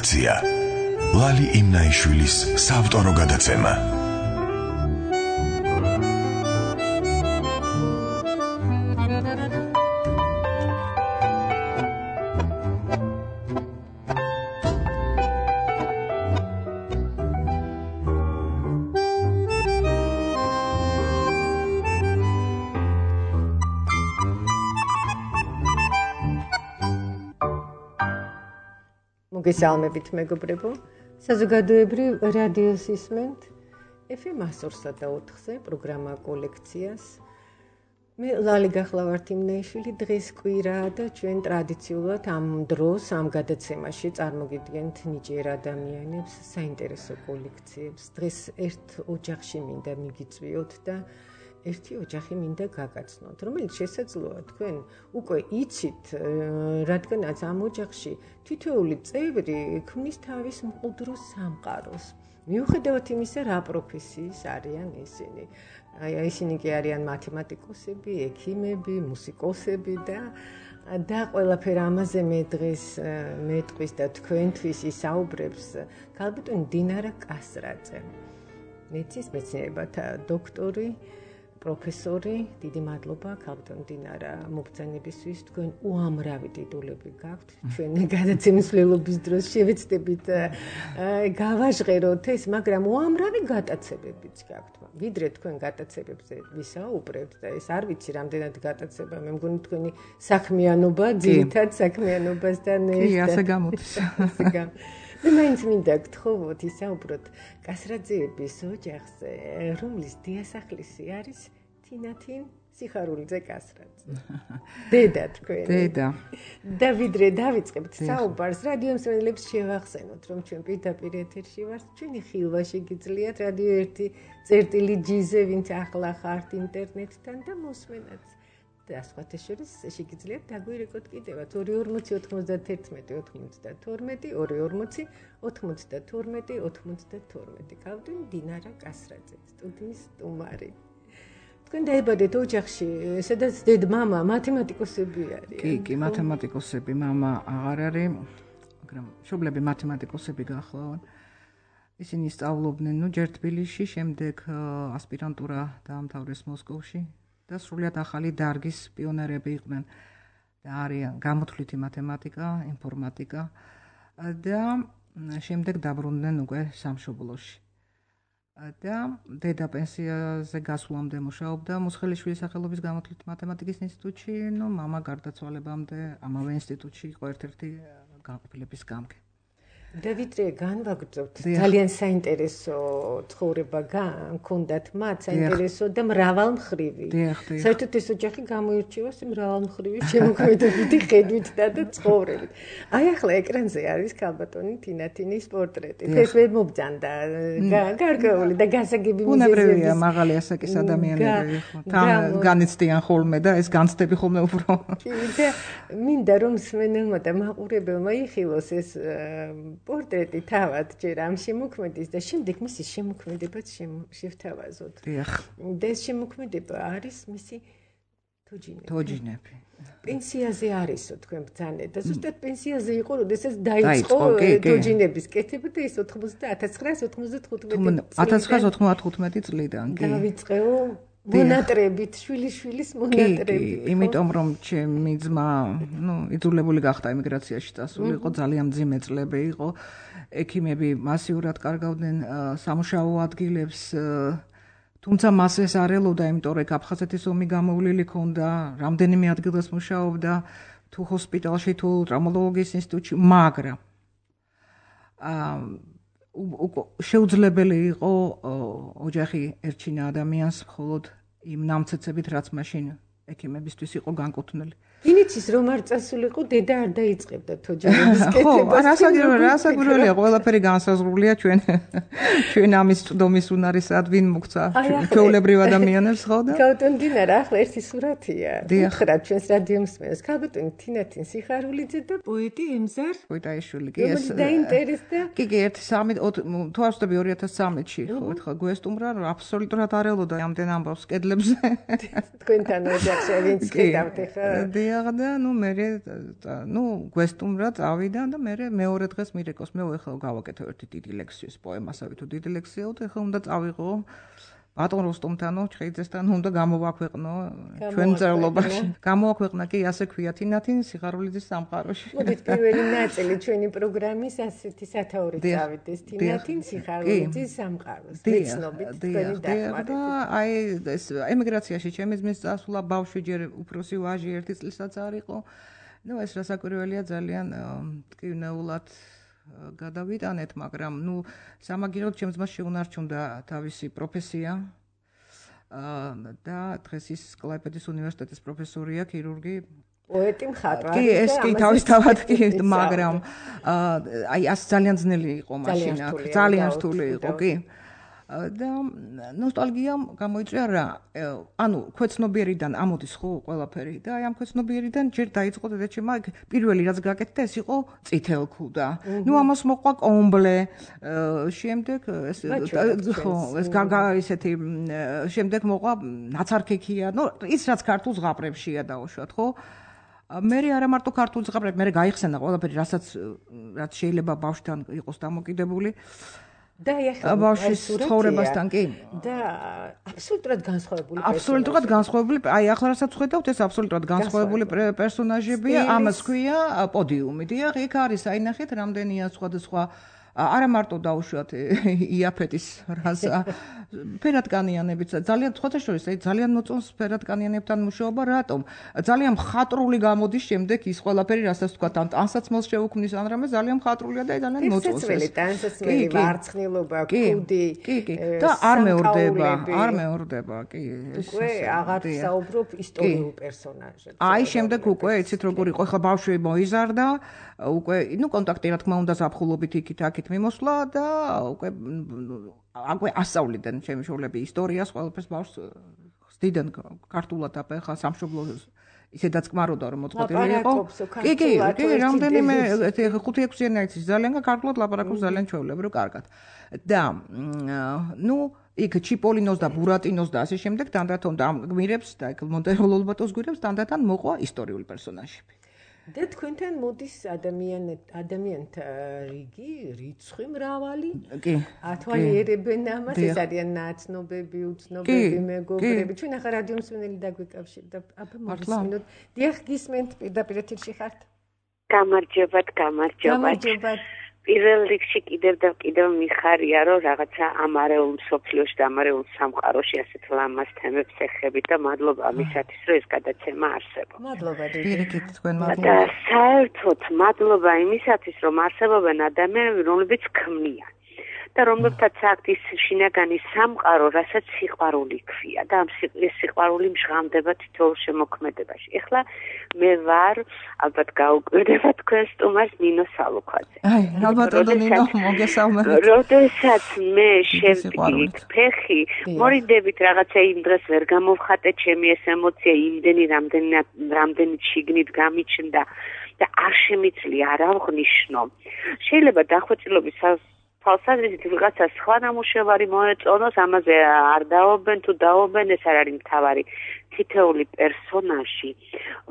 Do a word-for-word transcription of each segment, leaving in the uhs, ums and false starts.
კოლექცია. ლალი იმნაიშვილის საავტორო გადაცემა. მოგესალმებით მეგობრებო, საზოგადოებრივ რადიოს ისმენთ ეფ ემ ათსა და ოთხზე პროგრამა კოლექციას. მე ლალი გახლავართ იმნაიშვილი, დღეს კვირაა და ჩვენ ტრადიციულად ამ დროს ამ გადაცემაში წარმოგიდგენთ ნიჭიერ ადამიანებს, საინტერესო კოლექციებს. დღეს ერთ ოჯახში მინდა მიგიწვიოთ და ერთი ოჯახი მინდა გაგაცნოთ, რომელიც შესაძლოა თქვენ უკვე იცით, რადგანაც ამ ოჯახში თითოეული წევრი ქმნის თავის მყუდრო სამყაროს. მიუხედავად იმისა, რა პროფესიის არიან ისინი. აი ისინი კი არიან მათემატიკოსები, ექიმები, მუსიკოსები და და ყველაფერ ამაზე მე დღეს მეტყვის და თქვენთვის ისაუბრებს ქალბატონი დინარა კასრაძე. მეცნიერების მეცნიერებათა დოქტორი, პროფესორი, დიდი მადლობა ქალბატონ დინარა მობრძანებისთვის. თქვენ უამრავი ტიტულები გაქვთ. ჩვენ გადაცემის მცველობის დროს შევეცდებით გავაჟღეროთ ეს, მაგრამ უამრავი გატაცებებიც გაქვთ. ვიდრე თქვენ გატაცებებზე ვისაუბრებთ და ეს არ ვიცი რამდენად გატაცება, მე მგონი თქვენი საქმიანობა ძირითად საქმიანობასთან ერთად. კი, ასე გამოდის. მე მაინც მინდა გთხოვოთ ისაუბროთ კასრაძეების ოჯახზე, რომლის დიასახლისი არის თინათინ სიხარულიძე კასრაძე. დედა თქვენი. დედა. და ვიდრე დავიწყებთ საუბარს, რადიო მსმენელებს შევახსენოთ, რომ ჩვენ პირდაპირ ეთერში ვართ, ჩვენი ხილვაში გიძლიათ რადიო ერთი წერტილი ჯიზე, ვინც ახლა ხართ ინტერნეტთან და მოსმენაც. და სხვათა შორის შეგიძლიათ დაგვირეკოთ კიდევაც ორი ორმოცი ოთხმოცდათერთმეტი ოთხმოცდათორმეტი ორი ორმოცი ოთხმოცდათორმეტი ოთხმოცდათორმეტი. ქალბატონი დინარა კასრაძე, სტუდიის სტუმარი. თქვენ დაიბადეთ ოჯახში, სადაც დედ-მამა მათემატიკოსები არიან. კი, კი, მათემატიკოსები, მამა აღარ არის, მაგრამ მშობლები მათემატიკოსები გახლავენ. ისინი სწავლობდნენ, ნუ ჯერ თბილისში, შემდეგ ასპირანტურა დაამთავრეს მოსკოვში. და სრულიად ახალი დარგის პიონერები იყვნენ და არიან გამოთვლითი მათემატიკა, ინფორმატიკა და შემდეგ დაბრუნდნენ უკვე სამშობლოში. და დედა პენსიაზე გასვლამდე მუშაობდა მუსხელიშვილის სახელობის გამოთვლითი მათემატიკის ინსტიტუტში, ნუ მამა გარდაცვალებამდე ამავე ინსტიტუტში იყო ერთ-ერთი განყოფილების გამგე. და ვიდრე განვაგრძობთ, ძალიან საინტერესო ცხოვრება გქონდათ მათ, საინტერესო და მრავალმხრივი. საერთოდ ეს ოჯახი გამოირჩევა მრავალმხრივი შემოქმედებითი ხედვით და ცხოვრებით. აი ახლა ეკრანზე არის ქალბატონი თინათინის პორტრეტი. ეს ვერ მობძანდა გარკვეული და გასაგები მიზეზები. უნებრივია მაღალი ასაკის ადამიანები, თან განიცდიან ხოლმე და ეს განცდები ხოლმე უფრო. და მინდა რომ მსმენელმა და მაყურებელმა იხილოს ეს პორტრეტი თავად ჯერ ამ შემოქმედის და შემდეგ მისი შემოქმედებაც შევთავაზოთ. დიახ. და ეს შემოქმედება არის მისი თოჯინები. თოჯინები. პენსიაზე არისო თქვენ ბრძანეთ და ზუსტად პენსიაზე იყო, როდესაც დაიწყო თოჯინების კეთება და ეს ათას ცხრაასი ოცდათხუთმეტი წლიდან. დავიწყეო მონატრებით, შვილიშვილის მონატრებით. იმიტომ რომ ჩემი ძმა, ნუ, იძულებული გახდა ემიგრაციაში წასული, იყო ძალიან მძიმე წლები იყო. ექიმები მასიურად კარგავდნენ სამუშაო ადგილებს, თუმცა მას ეს არ ელოდა, იმიტომ რომ აფხაზეთის ომი გამოვლილი ქონდა, რამდენიმე ადგილას მუშაობდა, თუ ჰოსპიტალში, თუ ტრავმატოლოგიის ინსტიტუტში, მაგრამ შეუძლებელი იყო ოჯახი ერჩინა ადამიანს მხოლოდ იმ ნამცეცებით, რაც მაშინ ექიმებისთვის იყო განკუთვნილი. ვინიცის რომ არ წასულიყო, დედა არ დაიწყებდა თოჯინების კეთებას. ხო, რასაკვირველია, ყველაფერი განსაზღვრულია ჩვენ ჩვენ ამის წვდომის უნარისად ვინ მოგცა ჩვეულებრივ ადამიანებს, ხო და? ქალბატონი დინარა, ახლა ერთი სურათია. უთხრათ ჩვენს რადიო მსმენელს, ქალბატონი თინათინ სიხარულიძე და პოეტი ემზარ პოეტაიშვილი, კი ეს დაინტერესდა. კი, კი, ერთი სამი თუ არ ვწდები ორი ათას ცხრამეტში, ხო, ერთხელ გვესტუმრა, აბსოლუტურად არ ელოდა ამდენ ამბავს კედლებზე. თქვენთან ოჯახში ვინც ხედავთ ხა? დიახ და ნუ მე ნუ გვესტუმრა წავიდა და მე მეორე დღეს მირეკოს მე ეხლა გავაკეთე ერთი დიდი ლექსიის პოემასავე თუ დიდი ლექსია და ეხლა უნდა წავიღო ბატონ როსტომთანო ჩხეიძესთან უნდა გამოვაქვეყნო ჩვენ წერლობაში გამოვაქვეყნა კი ასე ქვია თინათინ სიხარულიძის სამყაროში მოდით პირველი ნაწილი ჩვენი პროგრამის ასეთი სათაური წავიდეს თინათინ სიხარულიძის სამყაროს მეცნობით თქვენი დახმარებით და აი ეს ემიგრაციაში ჩემი ძმის წასვლა ბავშვი ჯერ უფროსი ვაჟი ერთი წლისაც არ იყო ნუ ეს რასაკვირველია ძალიან ტკივნეულად გადავიტანეთ, მაგრამ ნუ სამაგიეროდ ჩემს ძმას შეუნარჩუნდა თავისი პროფესია. და დღეს ის კლაიპედის უნივერსიტეტის პროფესორია, ქირურგი. პოეტი მხატვარი. კი, ეს კი თავისთავად კი, მაგრამ აი ას ძალიან ძნელი იყო მაშინა, ძალიან რთული იყო, კი. და ნოსტალგიამ გამოიწვია რა, ანუ ქვეცნობიერიდან ამოდის ხო ყველაფერი და აი ამ ქვეცნობიერიდან ჯერ დაიწყო დედაჩემმა პირველი რაც გაკეთდა ეს იყო წითელქუდა. ნუ ამას მოყვა კომბლე, შემდეგ ეს ხო, ეს გაგა ისეთი შემდეგ მოყვა ნაცარქექია, ნუ ის რაც ქართულ ზღაპრებშია დაუშვათ, ხო? მე არა მარტო ქართულ ზღაპრებში, მე გაიხსენა ყველაფერი, რასაც რაც შეიძლება ბავშვთან იყოს დამოკიდებული. და ეხლა ბავშვის ცხოვრებასთან კი და აბსოლუტურად განსხვავებული აბსოლუტურად განსხვავებული აი ახლა რასაც ხედავთ ეს აბსოლუტურად განსხვავებული პერსონაჟებია ამას ქვია პოდიუმი დიახ იქ არის აი ნახეთ რამდენია სხვადასხვა არა მარტო დაუშვათ იაფეტის რაზა ფერადკანიანებიც ძალიან სხვათა შორის აი ძალიან მოწონს ფერადკანიანებთან მუშაობა რატომ ძალიან მხატვრული გამოდის შემდეგ ის ყველაფერი რასაც თქვა ან ტანსაცმელს შეუქმნის ან რამე ძალიან მხატვრულია და ძალიან მოწონს ეს ტანსაცმელი ვარცხნილობა კუდი კი კი და არ მეორდება არ მეორდება კი უკვე აღარ საუბრობ ისტორიულ პერსონაჟებზე აი შემდეგ უკვე იცით როგორ იყო ხა ბავშვი მოიზარდა უკვე ნუ კონტაქტი რა თქმა უნდა ზაფხულობით იქით აქით მიმოსვლა და უკვე აკვე ასწავლიდნენ ჩემი შვილები ისტორიას ყველაფერს ბავშვს ხსდიდან ქართულად აფეხა სამშობლო ისედაც კმაროდა რომ მოწყობილი იყო კი კი კი რამდენიმე ხუთი ექვსი ენა იცის ძალიან ქართულად ლაპარაკობს ძალიან ჩვეულებრივ კარგად და ნუ იქ ჩიპოლინოს და ბურატინოს და ასე შემდეგ თანდათან და გმირებს და იქ მონტეროლობატოს გვირებს თანდათან მოყვა ისტორიული პერსონაჟები და თქვენთან მოდის ადამიანეთ ადამიანთა რიგი, რიცხვი მრავალი. კი. ათვალიერებენ ამას, ეს არიან ნაცნობები, უცნობები, მეგობრები. ჩვენ ახლა რადიო მსმენელი დაგვიკავშირდა. აბა მოვისმინოთ. დიახ, გისმენთ პირდაპირ ეთერში ხართ. გამარჯობათ, გამარჯობათ. გამარჯობათ. პირველ რიგში კიდევ და კიდევ მიხარია, რომ რაღაცა ამარეულ მსოფლიოში და ამარეულ სამყაროში ასეთ ლამაზ თემებს ეხებით და მადლობა ამისათვის, რომ ეს გადაცემა არსებობს. მადლობა პირიქით თქვენ მადლობა. და საერთოდ მადლობა იმისათვის, რომ არსებობენ ადამიანები, რომლებიც ქმნიან. და რომლებთაც აქვს ის შინაგანი სამყარო, რასაც სიყვარული ქვია და ამ სიყვარული მჟღამდება თითოეულ შემოქმედებაში. ეხლა მე ვარ, ალბათ გაუკვირდება თქვენ სტუმარს ნინო სალუქვაძე. აი, ალბათ ნინო მოგესალმებით. როდესაც მე შევდგი ფეხი, მორიდებით რაღაცა იმ დღეს ვერ გამოვხატე ჩემი ეს ემოცია, იმდენი რამდენი რამდენი შიგნით გამიჩნდა და არ შემიძლია არა ვღნიშნო. შეიძლება დახვეწილობის თვალსაზრისით ვიღაცა სხვა ნამუშევარი მოეწონოს, ამაზე არ დაობენ თუ დაობენ, ეს არ არის მთავარი. თითოეული პერსონაჟი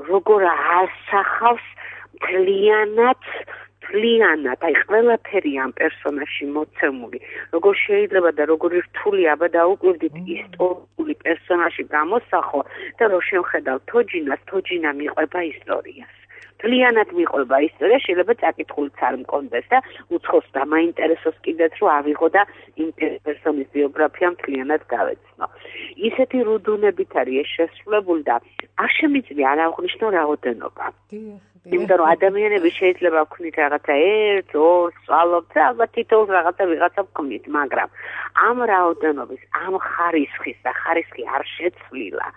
როგორ ასახავს მთლიანად მთლიანად, აი ყველაფერი ამ პერსონაჟში მოცემული. როგორ შეიძლება და როგორი რთული აბა დაუკვირდით ისტორიული პერსონაჟი გამოსახო და რო შევხედავ თოჯინას, თოჯინა მიყვება ისტორიას. მთლიანად მიყვება ისტორია, შეიძლება წაკითხულიც არ მქონდეს და უცხოს დამაინტერესოს კიდეც რომ ავიღო და იმ პერსონის ბიოგრაფია მთლიანად გავეცნო. ისეთი რუდუნებით არის ეს შესრულებული და არ შემიძლია არ აღნიშნო რაოდენობა. იმიტომ რომ ადამიანები შეიძლება ვქნით რაღაცა ერთ, ორ, სწავლობთ და ალბათ თითოეულს რაღაცა ვიღაცა ვქმნით, მაგრამ ამ რაოდენობის, ამ ხარისხის და ხარისხი არ შეცვლილა.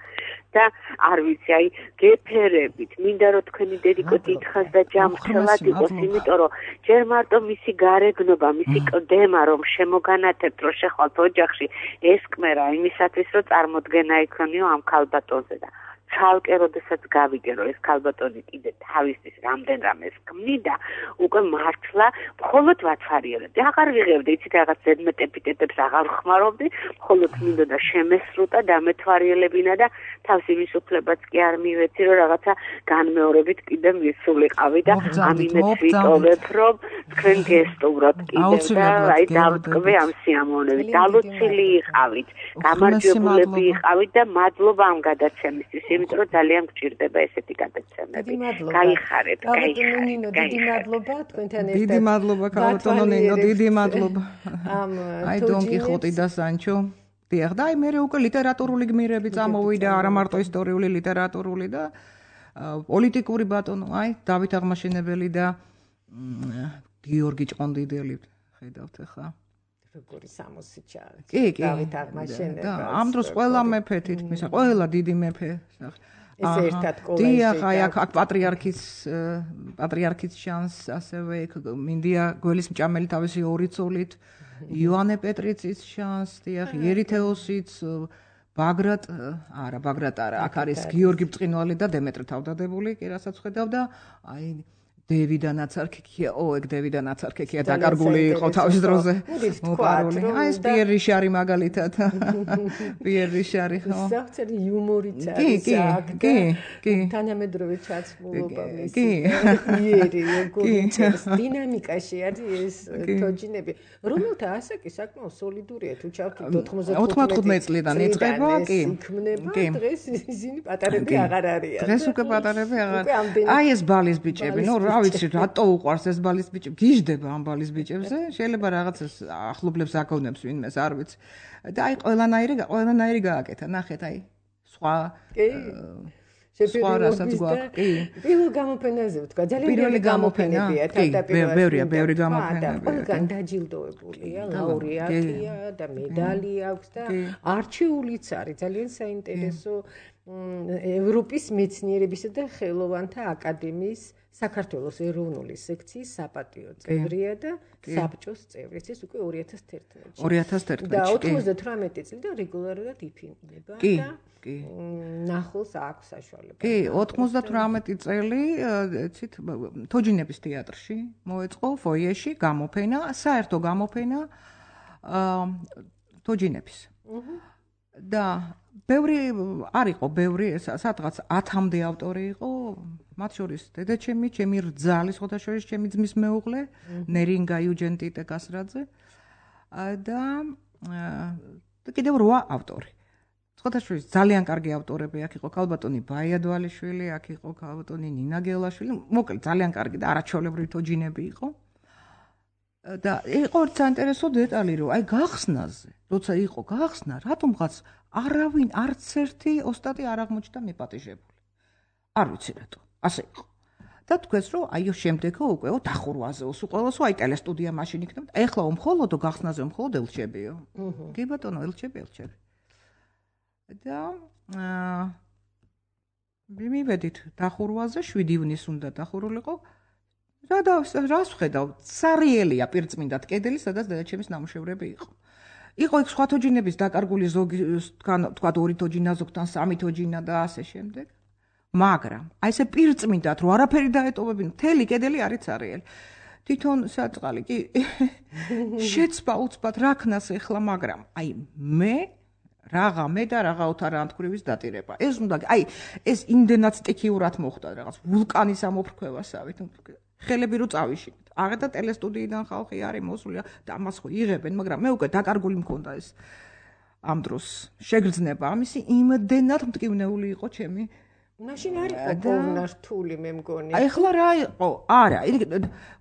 და არ ვიცი, აი გეფერებით, მინდა რომ თქვენი დედიკო დიდხანს და ჯამრთელად იყოს, იმიტომ რომ ჯერ მარტო მისი გარეგნობა, მისი კლდემა რომ შემოგანათებთ, რომ შეხვალთ ოჯახში, ეს კმერა იმისათვის, რომ წარმოდგენა იქონიო ამ ქალბატონზე და ცალკე როდესაც გავიგე რომ ეს ქალბატონი კიდე თავისთვის რამდენ რამეს ქმნიდა უკვე მართლა მხოლოდ ვაცარიელებდი აღარ ვიღებდი იცით რაღაც ზედმეტ ეპიტეტებს აღარ ხმარობდი მხოლოდ მინდოდა შემესრუტა დამეთვალიერებინა და თავს იმის უფლებაც კი არ მივეცი რომ რაღაცა განმეორებით კიდე მისულიყავი და ამინეც ვიტოვებ რომ თქვენ გესტუმროთ კიდევ და აი დავტკბე ამ სიამოვნებით დალოცილი იყავით გამარჯვებულები იყავით და მადლობა ამ გადაცემისთვის იმიტომ რომ ძალიან გჭირდება ესეთი გადაცემები. გაიხარეთ, გაიხარეთ. დიდი მადლობა თქვენთან ერთად. დიდი მადლობა ქალბატონო ნინო, დიდი მადლობა. აი დონ კიხოტი და სანჩო. დიახ, და აი მე უკვე ლიტერატურული გმირები წამოვიდა, არა მარტო ისტორიული ლიტერატურული და პოლიტიკური ბატონო, აი დავით აღმაშენებელი და გიორგი ჭყონდიდელი ხედავთ ახლა. როგორი სამოსი ჩაი. კი, კი. დავით აღმაშენებელი. ამ დროს ყველა მეფე თითქმის, ყველა დიდი მეფე. ეს ერთად კოლაჟი. დიახ, აი აქ პატრიარქის პატრიარქის შანს, ასევე მინდია გველის მჭამელი თავისი ორი ცოლით, იოანე პეტრიცის შანს, დიახ, იერითეოსიც, ბაგრატ, არა, ბაგრატ არა, აქ არის გიორგი ბრწყინვალე და დემეტრე თავდადებული, კი რასაც ხედავ და აი დევიდა ნაცარქექია, ო, ეგ დევიდა ნაცარქექია დაკარგული იყო თავის დროზე. მოპარული. აი ეს პიერ რიშარი მაგალითად. პიერ რიშარი ხო? საერთოდ იუმორიც არის აქ. კი, კი. თანამედროვე ჩაცმულობა მის. კი. იერი, გულჩეს დინამიკაში არის ეს თოჯინები. რომელთა ასაკი საკმაოდ სოლიდურია თუ ჩავთვლით ოთხმოცდათხუთმეტი წლიდან იწყება, კი. კი. დღეს ისინი პატარები აღარ არიან. დღეს უკვე პატარები აღარ. აი ეს ბალის ბიჭები, ნუ რა ვიცი რატო უყვარს ეს ბალის ბიჭები გიждდება ამ ბალის ბიჭებზე შეიძლება რაღაც ახლობლებს აკონებს ვინმეს არ ვიცი და აი ყველანაირი ყველანაირი გააკეთა ნახეთ აი სხვა სხვა რასაც გვაქვს კი პირველ გამოფენაზე ვთქვა ძალიან პირველი გამოფენებია თავდაპირველად ბევრია ბევრი გამოფენები ყველგან დაჯილდოებულია ლაურეატია და მედალი აქვს და არჩეულიც არის ძალიან საინტერესო ევროპის მეცნიერებისა და ხელოვანთა აკადემიის საქართველოს ეროვნული სექციის საპატიო წევრია და საბჭოს წევრი. ეს უკვე ორი ათას თერთმეტში. ორი ათას თერთმეტში. და ოცდათვრამეტი წლიდან რეგულარულად იფინდება და კი. ნახულს აქვს საშუალება. კი, ოცდათვრამეტი წელი, იცით, თოჯინების თეატრში მოეწყო ფოიეში გამოფენა, საერთო გამოფენა თოჯინების. და ბევრი არ იყო, ბევრი სადღაც ათამდე ავტორი იყო, მათ შორის დედაჩემი, ჩემი რძალი, სხვათა შორის ჩემი ძმის მეუღლე, ნერინგა იუჯენტიტე კასრაძე და კიდევ რვა ავტორი. სხვათა შორის ძალიან კარგი ავტორები აქ იყო ქალბატონი ბაიადვალიშვილი, აქ იყო ქალბატონი ნინა გელაშვილი, მოკლედ ძალიან კარგი და არაჩვეულებრივი თოჯინები იყო. და იყო საინტერესო დეტალი, რომ აი გახსნაზე, როცა იყო გახსნა, რატომღაც არავინ არც ერთი ოსტატი არ აღმოჩნდა მიპატიჟებული. არ ვიცი რატო, ასე იყო. და თქვენს რომ აიო შემდეგო უკვე დახურვაზეო, სულ ყველასო აი ტელესტუდია მაშინ იქნება. ეხლა მხოლოდ გახსნაზე მხოლოდ ელჩებიო. კი ბატონო, ელჩები, ელჩები. და აა მივედით დახურვაზე, შვიდი ივნის უნდა დახურულიყო. რა და რას ვხედავ? სარიელია პირწმინდად კედელი, სადაც დედაჩემის ნამუშევრები იყო. იყო იქ სხვა თოჯინების დაკარგული ზოგი თან თქვა ორი თოჯინა ზოგთან სამი თოჯინა და ასე შემდეგ. მაგრამ აი ესე პირწმინდად რომ არაფერი დაეტოვებინ, მთელი კედელი არის სარიელი. თვითონ საწყალი კი შეცბა უცბად რაკნას ეხლა, მაგრამ აი მე რაღა მე და რაღა ოთარანთქვრივის დატირება. ეს უნდა აი ეს იმდენად სტიქიურად მოხდა რაღაც ვულკანის ამოფრქვევასავით. ხელები რო წავიშინეთ. აღარ და ტელესტუდიიდან ხალხი არის მოსული და ამას ხო იღებენ, მაგრამ მე უკვე დაკარგული მქონდა ეს ამ დროს შეგრძნება. ამისი იმდენად მტკივნეული იყო ჩემი. მაშინ არ იყო პოვნართული მე მგონი. აი ახლა რა იყო? არა,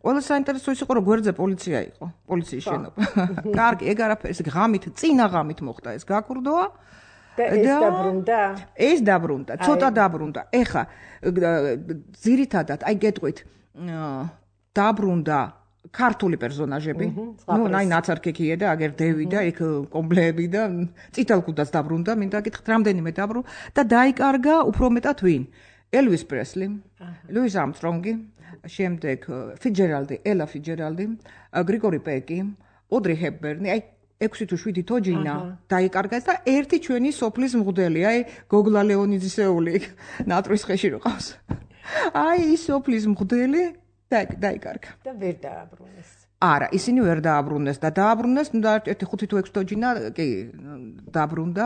ყველა საინტერესო ის იყო რომ გვერდზე პოლიცია იყო, პოლიციის შენობა. კარგი, ეგ არაფერი, ეს ღამით, წინა ღამით მოხდა ეს გაკურდოა. და ეს დაბრუნდა? ეს დაბრუნდა, ცოტა დაბრუნდა. ეხა ძირითადად აი გეტყვით დაბრუნდა ქართული პერსონაჟები. ნუ ნაი ნაცარქექია და აგერ დევი და იქ კომბლეები და წითელკუდაც დაბრუნდა, მინდა გითხრათ, რამდენიმე დაბრუნდა და დაიკარგა უფრო მეტად ვინ? ელვის პრესლი, ლუის ამსტრონგი, შემდეგ ფიჯერალდი, ელა ფიჯერალდი, გრიგორი პეკი, ოდრი ჰეპბერნი, აი ექვსი თუ შვიდი თოჯინა დაიკარგეს და ერთი ჩვენი სოფლის მღვდელი, აი გოგლა ლეონიძისეული ნატრის ხეში რო ყავს. აი ის სოფლის მღვდელი დაიკარგა. და ვერ დააბრუნეს. არა, ისინი ვერ დააბრუნეს და დააბრუნეს, ნუ ერთი ხუთი თუ ექვსი თოჯინა კი დაბრუნდა.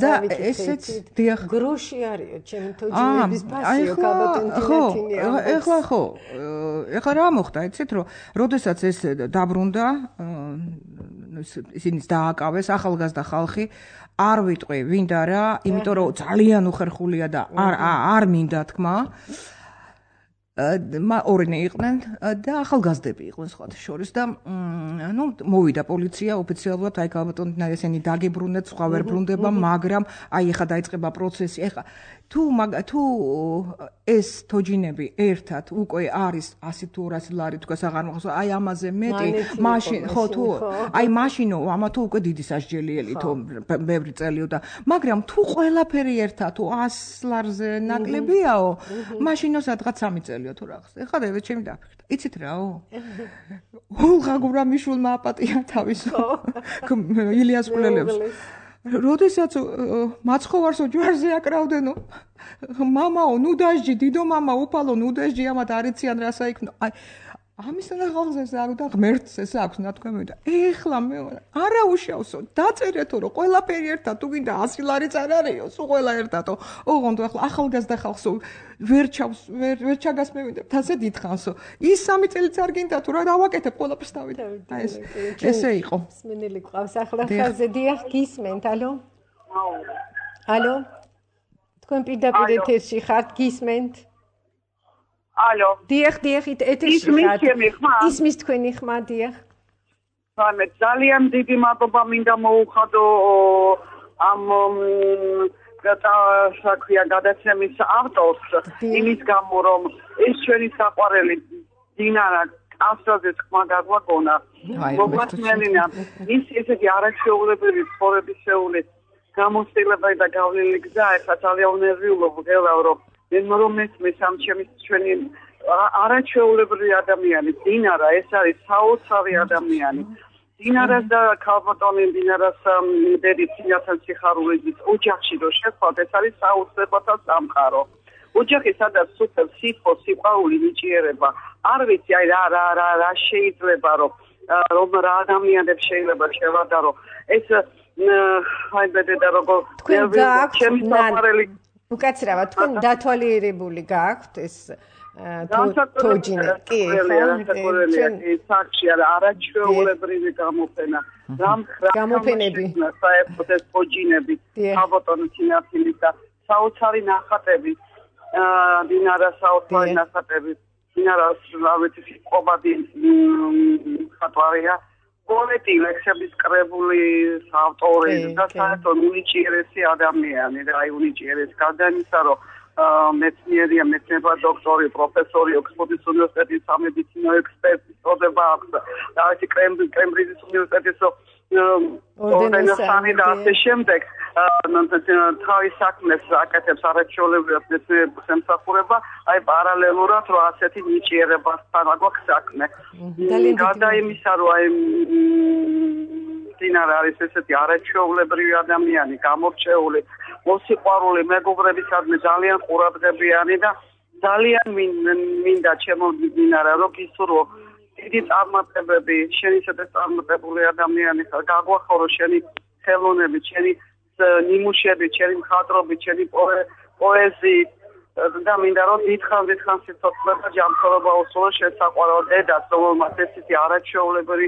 და ესეც დიახ გროში არის ჩემი თოჯინების ფასიო კაბატონტინათინია. ეხლა ხო, ეხლა რა მოხდა, იცით რომ როდესაც ეს დაბრუნდა, ისინიც დააკავეს ახალგაზრდა ხალხი, არ ვიტყვი ვინდა რა, იმიტომ რომ ძალიან უხერხულია და არ არ მინდა თქმა. ორნე იყვნენ და ახალგაზრდები იყვნენ სხვათა შორის და ნუ მოვიდა პოლიცია ოფიციალურად აი კაბატონტინა ესენი დაგიბრუნეთ, სხვა ვერ ბრუნდება, მაგრამ აი ეხა დაიწყება პროცესი. ეხა თუ თუ ეს თოჯინები ერთად უკვე არის ასი თუ ორასი ლარი თქვას აღარ მახსოვს, აი ამაზე მეტი, მაშინ ხო თუ აი მაშინო ამა თუ უკვე დიდი სასჯელიელი თუ ბევრი წელიო და მაგრამ თუ ყველაფერი ერთად თუ ასი ლარზე ნაკლებიაო, მაშინო სადღაც სამი წელიო თუ რაღაც. ეხლა და ჩემი დაფიქრდა. იცით რაო? ულღა გურამიშვილმა აპატია თავის ილიას კულელებს. როდესაც მაცხოვარსო ჯვარზე აკრავდენო მამაო ნუ დაჟჯი დიდო მამა უფალო ნუ დაჟჯი ამათ არიციან რა საიქნო აი ამისთან ახალზე ზარო და ღმერთს ეს აქვს ნათქვამი და ეხლა მე არა უშავსო დაწერეთო რომ ყველაფერი ერთად თუ გინდა ასი ლარიც არ არისო სულ ყველა ერთადო ოღონდ ეხლა ახალგაზრდა ხალხსო ვერ ჩავს ვერ ვერ ჩაგასმევინდა თასე დიდხანსო ის სამი წელიც არ გინდა თუ რა დავაკეთებ ყველაფერს დავით აი ეს ესე იყო მსმენელი ყავს ახლა ხალხზე დიახ გისმენთ ალო ალო თქვენ პირდაპირ ეთერში ხართ გისმენთ ალო დიახ დიახ ეთერში ხართ ისმის თქვენი ხმა დიახ მე ძალიან დიდი მადლობა მინდა მოუხადო ამ გადა საქმეა გადაცემის ავტორს იმის გამო რომ ეს ჩვენი საყვარელი დინარა ასოზე თქმა გაგვაგონა მოგვასმენინა ის ესეთი არაჩვეულებრივი ცხოვრების შეეული გამოცდილება და გავლილი გზა ეხლა ძალიან ნერვიულობ გელავ რომ რომ მესმის ამ ჩემი ჩვენი არაჩვეულებრივი ადამიანი დინარა ეს არის საოცარი ადამიანი დინარას და ქალბატონი დინარას დედიცინათან სიხარულის ოჯახში რო შეხვდეთ ეს არის საოცრებათა სამყარო ოჯახი სადაც სუფელ სიტყვა სიყვარული ნიჭიერება არ ვიცი აი რა რა რა რა შეიძლება რომ რომ რა ადამიანებს შეიძლება შევადარო ეს აი ბედედა როგორ ჩემი საყვარელი უკაცრავად თქვენ დათვალიერებული გაქვთ ეს თოჯინა კი ხო საქმე არა არაჩვეულებრივი გამოფენა რამ გამოფენები საერთოდ ეს თოჯინები ქალბატონთინათილის და საოცარი ნახატები დინარა საოცარი ნახატები დინარას რა ვიცი ყობადი ხატვარია პოეტი ლექსების კრებული ავტორი და საერთოდ უნიჭიერესი ადამიანი და აი უნიჭიერეს გადანისა რომ მეცნიერია მეცნიერება დოქტორი პროფესორი ოქსფორდის უნივერსიტეტის სამედიცინო ექსპერტი წოდება აქვს და აი კემბრიჯის უნივერსიტეტის ორდენოსანი და ასე შემდეგ თავის საქმეს აკეთებს არაჩვეულებრივად მეცნიერების ემსახურება აი პარალელურად რომ ასეთი ნიჭიერებასთან აგვაქვს საქმე გარდა იმისა რომ აი დინარა არის ესეთი არაჩვეულებრივი ადამიანი გამორჩეული მოსიყვარული მეგობრებისადმი ძალიან ყურადღებიანი და ძალიან მინდა ჩემო დინარა რომ გისურვო დიდი წარმატებები შენი სადაც წარმატებული ადამიანი ხარ გაგვახარო შენი ხელოვნები შენი ნიმუშები შენი მხატვრობი შენი პოეზიით და მინდა რომ დიდხან დიდხან სიცოცხლე და ჯანმრთელობა უსულო შესაყვარო დედას რომელმაც ესეთი არაჩვეულებრივი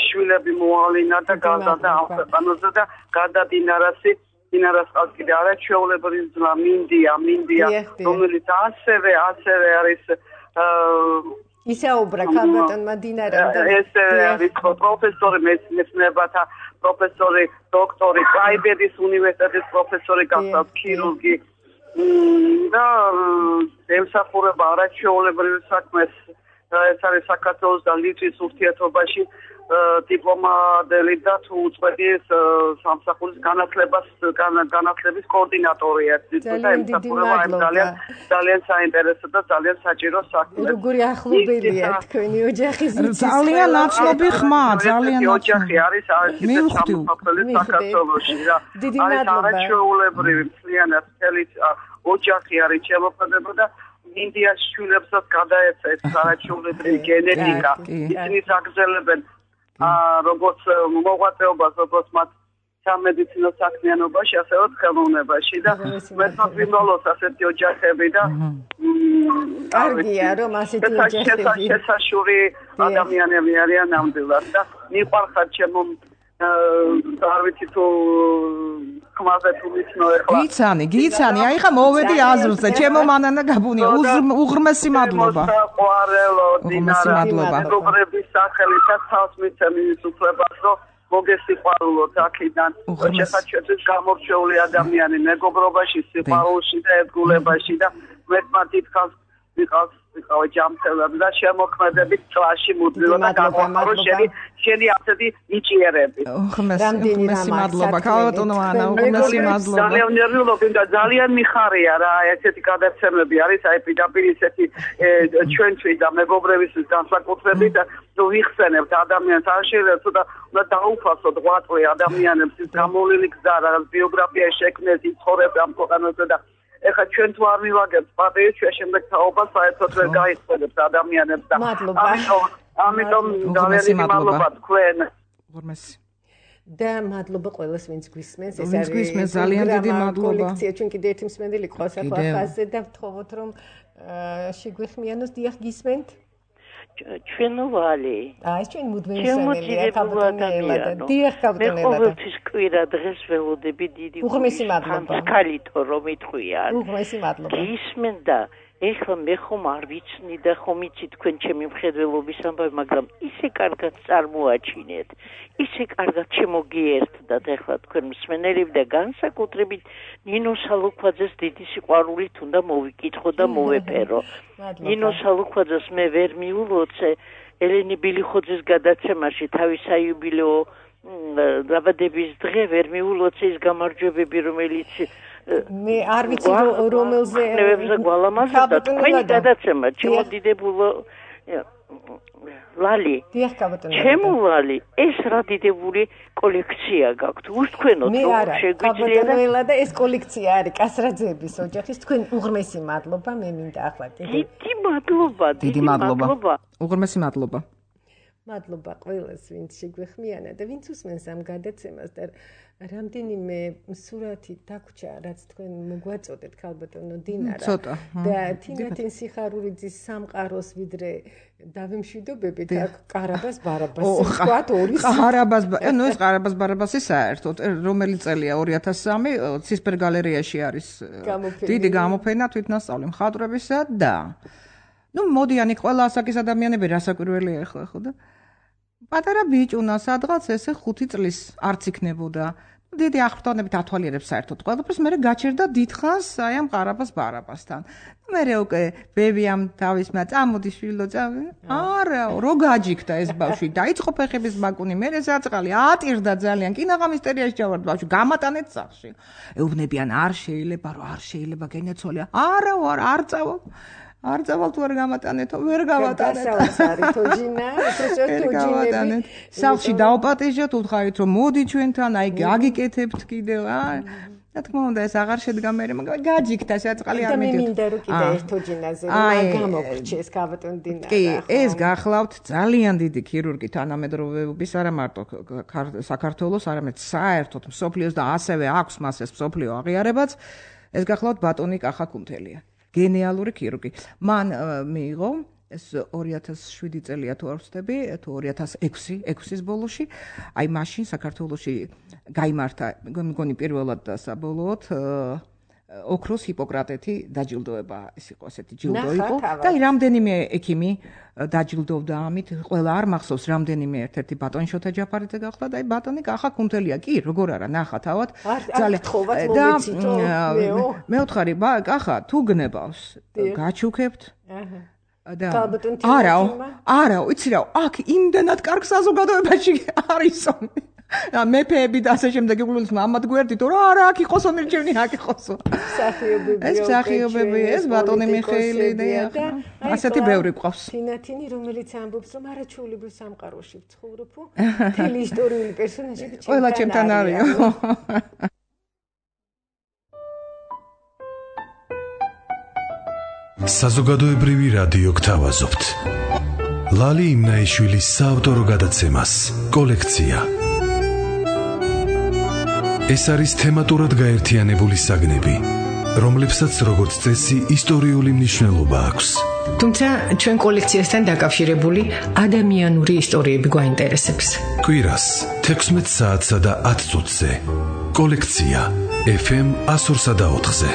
შვილები მოავლინა და გაზარდა ამ ქვეყანაზე და გარდა დინარასი დინარას ყავს კიდე არაჩვეულებრივი ძმა მინდია მინდია რომელიც ასევე ასევე არის ისაუბრა ქალბატონმა დინარამ და ეს არის პროფესორი მეცნიერებათა პროფესორი დოქტორი კაიბედის უნივერსიტეტის პროფესორი გახდა ქირურგი და ემსახურება არაჩვეულებრივ საქმეს ეს არის საქართველოს და ლიტვის ურთიერთობაში დიპლომატელი და თუ უწყვეტის სამსახურის განათლებას განათლების კოორდინატორია. ძალიან დიდი მადლობა. ძალიან საინტერესო და ძალიან საჭირო საქმე. როგორი ახლობელია თქვენი ოჯახის ძალიან ნაცნობი ხმა, ძალიან ოჯახი არის სამსახურის საქართველოში რა. დიდი მადლობა. არის არაჩვეულებრივი მთლიანად მთელი ოჯახი არის შემოქმედება და ინდიას შვილებსაც გადაეცა ეს არაჩვეულებრივი გენეტიკა. ისინი საგრძელებენ როგორც მოღვაწეობას, როგორც მათ სამედიცინო საქმიანობაში, ასევე ხელოვნებაში და მეთქმა გვიმრავლოს ასეთი ოჯახები და კარგია რომ ასეთი ოჯახები შესაშური ადამიანები არიან ნამდვილად და მიყვარხარ ჩემო არ ვიცი თუ ხმაზე თუ ვიცნო ეხლა გიცანი, გიცანი, აი ხა მოვედი აზრზე, ჩემო მანანა გაბუნია, უღრმესი მადლობა. საყვარელო დინარა, მეგობრების სახელითაც თავს მიცემ იმის უფლებას, რომ მოგესიყვარულოთ აქედან. შესაძლოა გამორჩეული ადამიანი მეგობრობაში, სიყვარულში და ერთგულებაში და მეთქმა თითქოს ვიყავს ვიყავ ჯამთელად და შემოქმედებით წლაში მუდმივად და გამოხარო შენი შენი ასეთი ნიჭიერები. უღრმესი მადლობა, ქალბატონო ანა, უღრმესი მადლობა. ძალიან ნერვიულობ და ძალიან მიხარია რა, ესეთი გადაცემები არის, აი პირდაპირ ესეთი ჩვენთვის და მეგობრებისთვის განსაკუთრებით და თუ ვიხსენებთ ადამიანს არ შეიძლება თუ და უნდა დაუფასოთ ღვაწლი ადამიანებს ის გამოვლილი გზა რა ბიოგრაფია შექმნეს ის ცხოვრება ამ ქვეყანაზე და ეხლა ჩვენ თუ არ მივაგებთ პატივს ჩვენ შემდეგ თაობას საერთოდ ვერ გაიხსენებთ ადამიანებს და ამიტომ ამიტომ ძალიან მადლობა თქვენ უღრმესი და მადლობა ყველას ვინც გვისმენს ეს არის გვისმენს ძალიან დიდი მადლობა კოლექცია ჩვენ კიდე ერთი მსმენელი ყავს ახლა ხაზზე და ვთხოვოთ რომ შეგვეხმიანოს დიახ გისმენთ ჩვენ ვალი აი ჩვენ მუდმივი მსმენელია ქალბატონელადა დიახ ქალბატონელადა მე ყოველთვის კვირა დღეს ველოდები დიდი უღრმესი მადლობა ხალითო რომ იტყვიან უღრმესი მადლობა გისმენდა ეხლა მე ხომ არ ვიცნი და ხომ იცი თქვენ ჩემი მხედველობის ამბავი მაგრამ ისე კარგად წარმოაჩინეთ ისე კარგად შემოგიერთდათ ეხლა თქვენ მსმენელები და განსაკუთრებით ნინო სალუქვაძეს დიდი სიყვარულით უნდა მოვიკითხო და მოვეფერო ნინო სალუქვაძეს მე ვერ მიულოცე ელენე ბილიხოძის გადაცემაში თავის საიუბილეო დაბადების დღე ვერ მიულოცე ის გამარჯვებები რომელიც მე არ ვიცი რომელზე ნებებზე გვალამაზა და თქვენი გადაცემა ჩემოდიდებულო ლალი დიახ ქალბატონო ჩემო ლალი ეს რა დიდებული კოლექცია გაქვთ უსტქვენოთ რომ შეგვიძლია და ეს კოლექცია არის კასრაძეების ოჯახის თქვენ უღრმესი მადლობა მე მინდა ახლა დიდი მადლობა დიდი მადლობა უღრმესი მადლობა მადლობა ყველას ვინც შეგვეხმიანა და ვინც უსმენს ამ გადაცემას და რამდენიმე სურათი დაგვრჩა რაც თქვენ მოგვაწოდეთ ქალბატონო დინარა და თინათინ სიხარულიძის სამყაროს ვიდრე დავიმშვიდობებით აქ ყარაბას ბარაბას ვთქვათ ორი ყარაბას ნუ ეს ყარაბას ბარაბასი საერთოდ რომელი წელია ორი ათას სამი ცისფერ გალერეაში არის დიდი გამოფენა თვითნასწავლი მხატვრებისა და ნუ მოდიანი ყველა ასაკის ადამიანები რასაკვირველია ახლა ხო და პატარა ბიჭუნა სადღაც ესე ხუთი წლის არც იქნებოდა დიდი აღფრთოვანებით ათვალიერებს საერთოდ ყველაფერს მე გაჩერდა დიდხანს აი ამ ყარაბას ბარაბასთან მე უკვე ბებიამ თავისმა წამოდი შვილო წამი არა რო გაჯიქდა ეს ბავშვი დაიწყო ფეხების ბაკუნი მე საწყალი ატირდა ძალიან კინაღამ ისტერიაში ჩავარდ ბავშვი გამატანეთ სახში ეუბნებიან არ შეიძლება რომ არ შეიძლება გენეცვალია არა ვარ არ წავალ არ წავალ თუ არ გამატანეთო ვერ გავატანეთ გასაოცარი თოჯინა თოჯინები სახში დაუპატეჟოთ უთხარით რომ მოდი ჩვენთან აი გაგიკეთებთ კიდევ აი რა თქმა უნდა ეს აღარ შედგა მე მაგრამ გაჯიქდა საწყალი არ მიდით და მე მინდა რომ კიდე ერთ თოჯინაზე რომ გამოგრჩეს ქალბატონ დინარა კი ეს გახლავთ ძალიან დიდი ქირურგი თანამედროვეობის არა მარტო საქართველოს არამედ საერთოდ მსოფლიოს და ასევე აქვს მას ეს მსოფლიო აღიარებაც ეს გახლავთ ბატონი კახა კუნთელია გენიალური ქირურგი. მან მიიღო ეს ორი ათას შვიდი წელია თუ არ ვცდები, თუ ორი ათას ექვსი, ექვსის ბოლოში, აი მაშინ საქართველოში გაიმართა, მგონი პირველად და საბოლოოდ ოქროს ჰიპოკრატეთი დაჯილდოება, ეს იყო ასეთი ჯილდო იყო და აი რამდენიმე ექიმი დაჯილდოვდა ამით, ყველა არ მახსოვს რამდენიმე ერთ-ერთი ბატონი შოთა ჯაფარიძე გახდა და აი ბატონი კახა კუნთელია კი, როგორ არა, ნახა თავად ძალიან და მე ვთხარი, კახა თუ გნებავს, გაჩუქებთ. და არაო, არაო, იცი რა, აქ იმდენად კარგ საზოგადოებაში არისო. მეფეები და ასე შემდეგ იგულოს ამათ გვერდით რა არა აქ იყოსო მირჩევნი აქ იყოსო. მსახიობები. ეს მსახიობები, ეს ბატონი მიხეილი და ასეთი ბევრი ყავს. თინათინი, რომელიც ამბობს, რომ არაჩვეულებრივ სამყაროში ვცხოვრობ, მთელი ისტორიული პერსონაჟები ჩემთან. ყველა ჩემთან არისო. საზოგადოებრივი რადიო გთავაზობთ. ლალი იმნაიშვილის საავტორო გადაცემას კოლექცია. ეს არის თემატურად გაერთიანებული საგნები, რომლებსაც როგორც წესი ისტორიული მნიშვნელობა აქვს. თუმცა ჩვენ კოლექციასთან დაკავშირებული ადამიანური ისტორიები გვაინტერესებს. კვირას თექვსმეტ საათსა და ათ წუთზე. კოლექცია ეფ ემ one oh four და ოთხზე.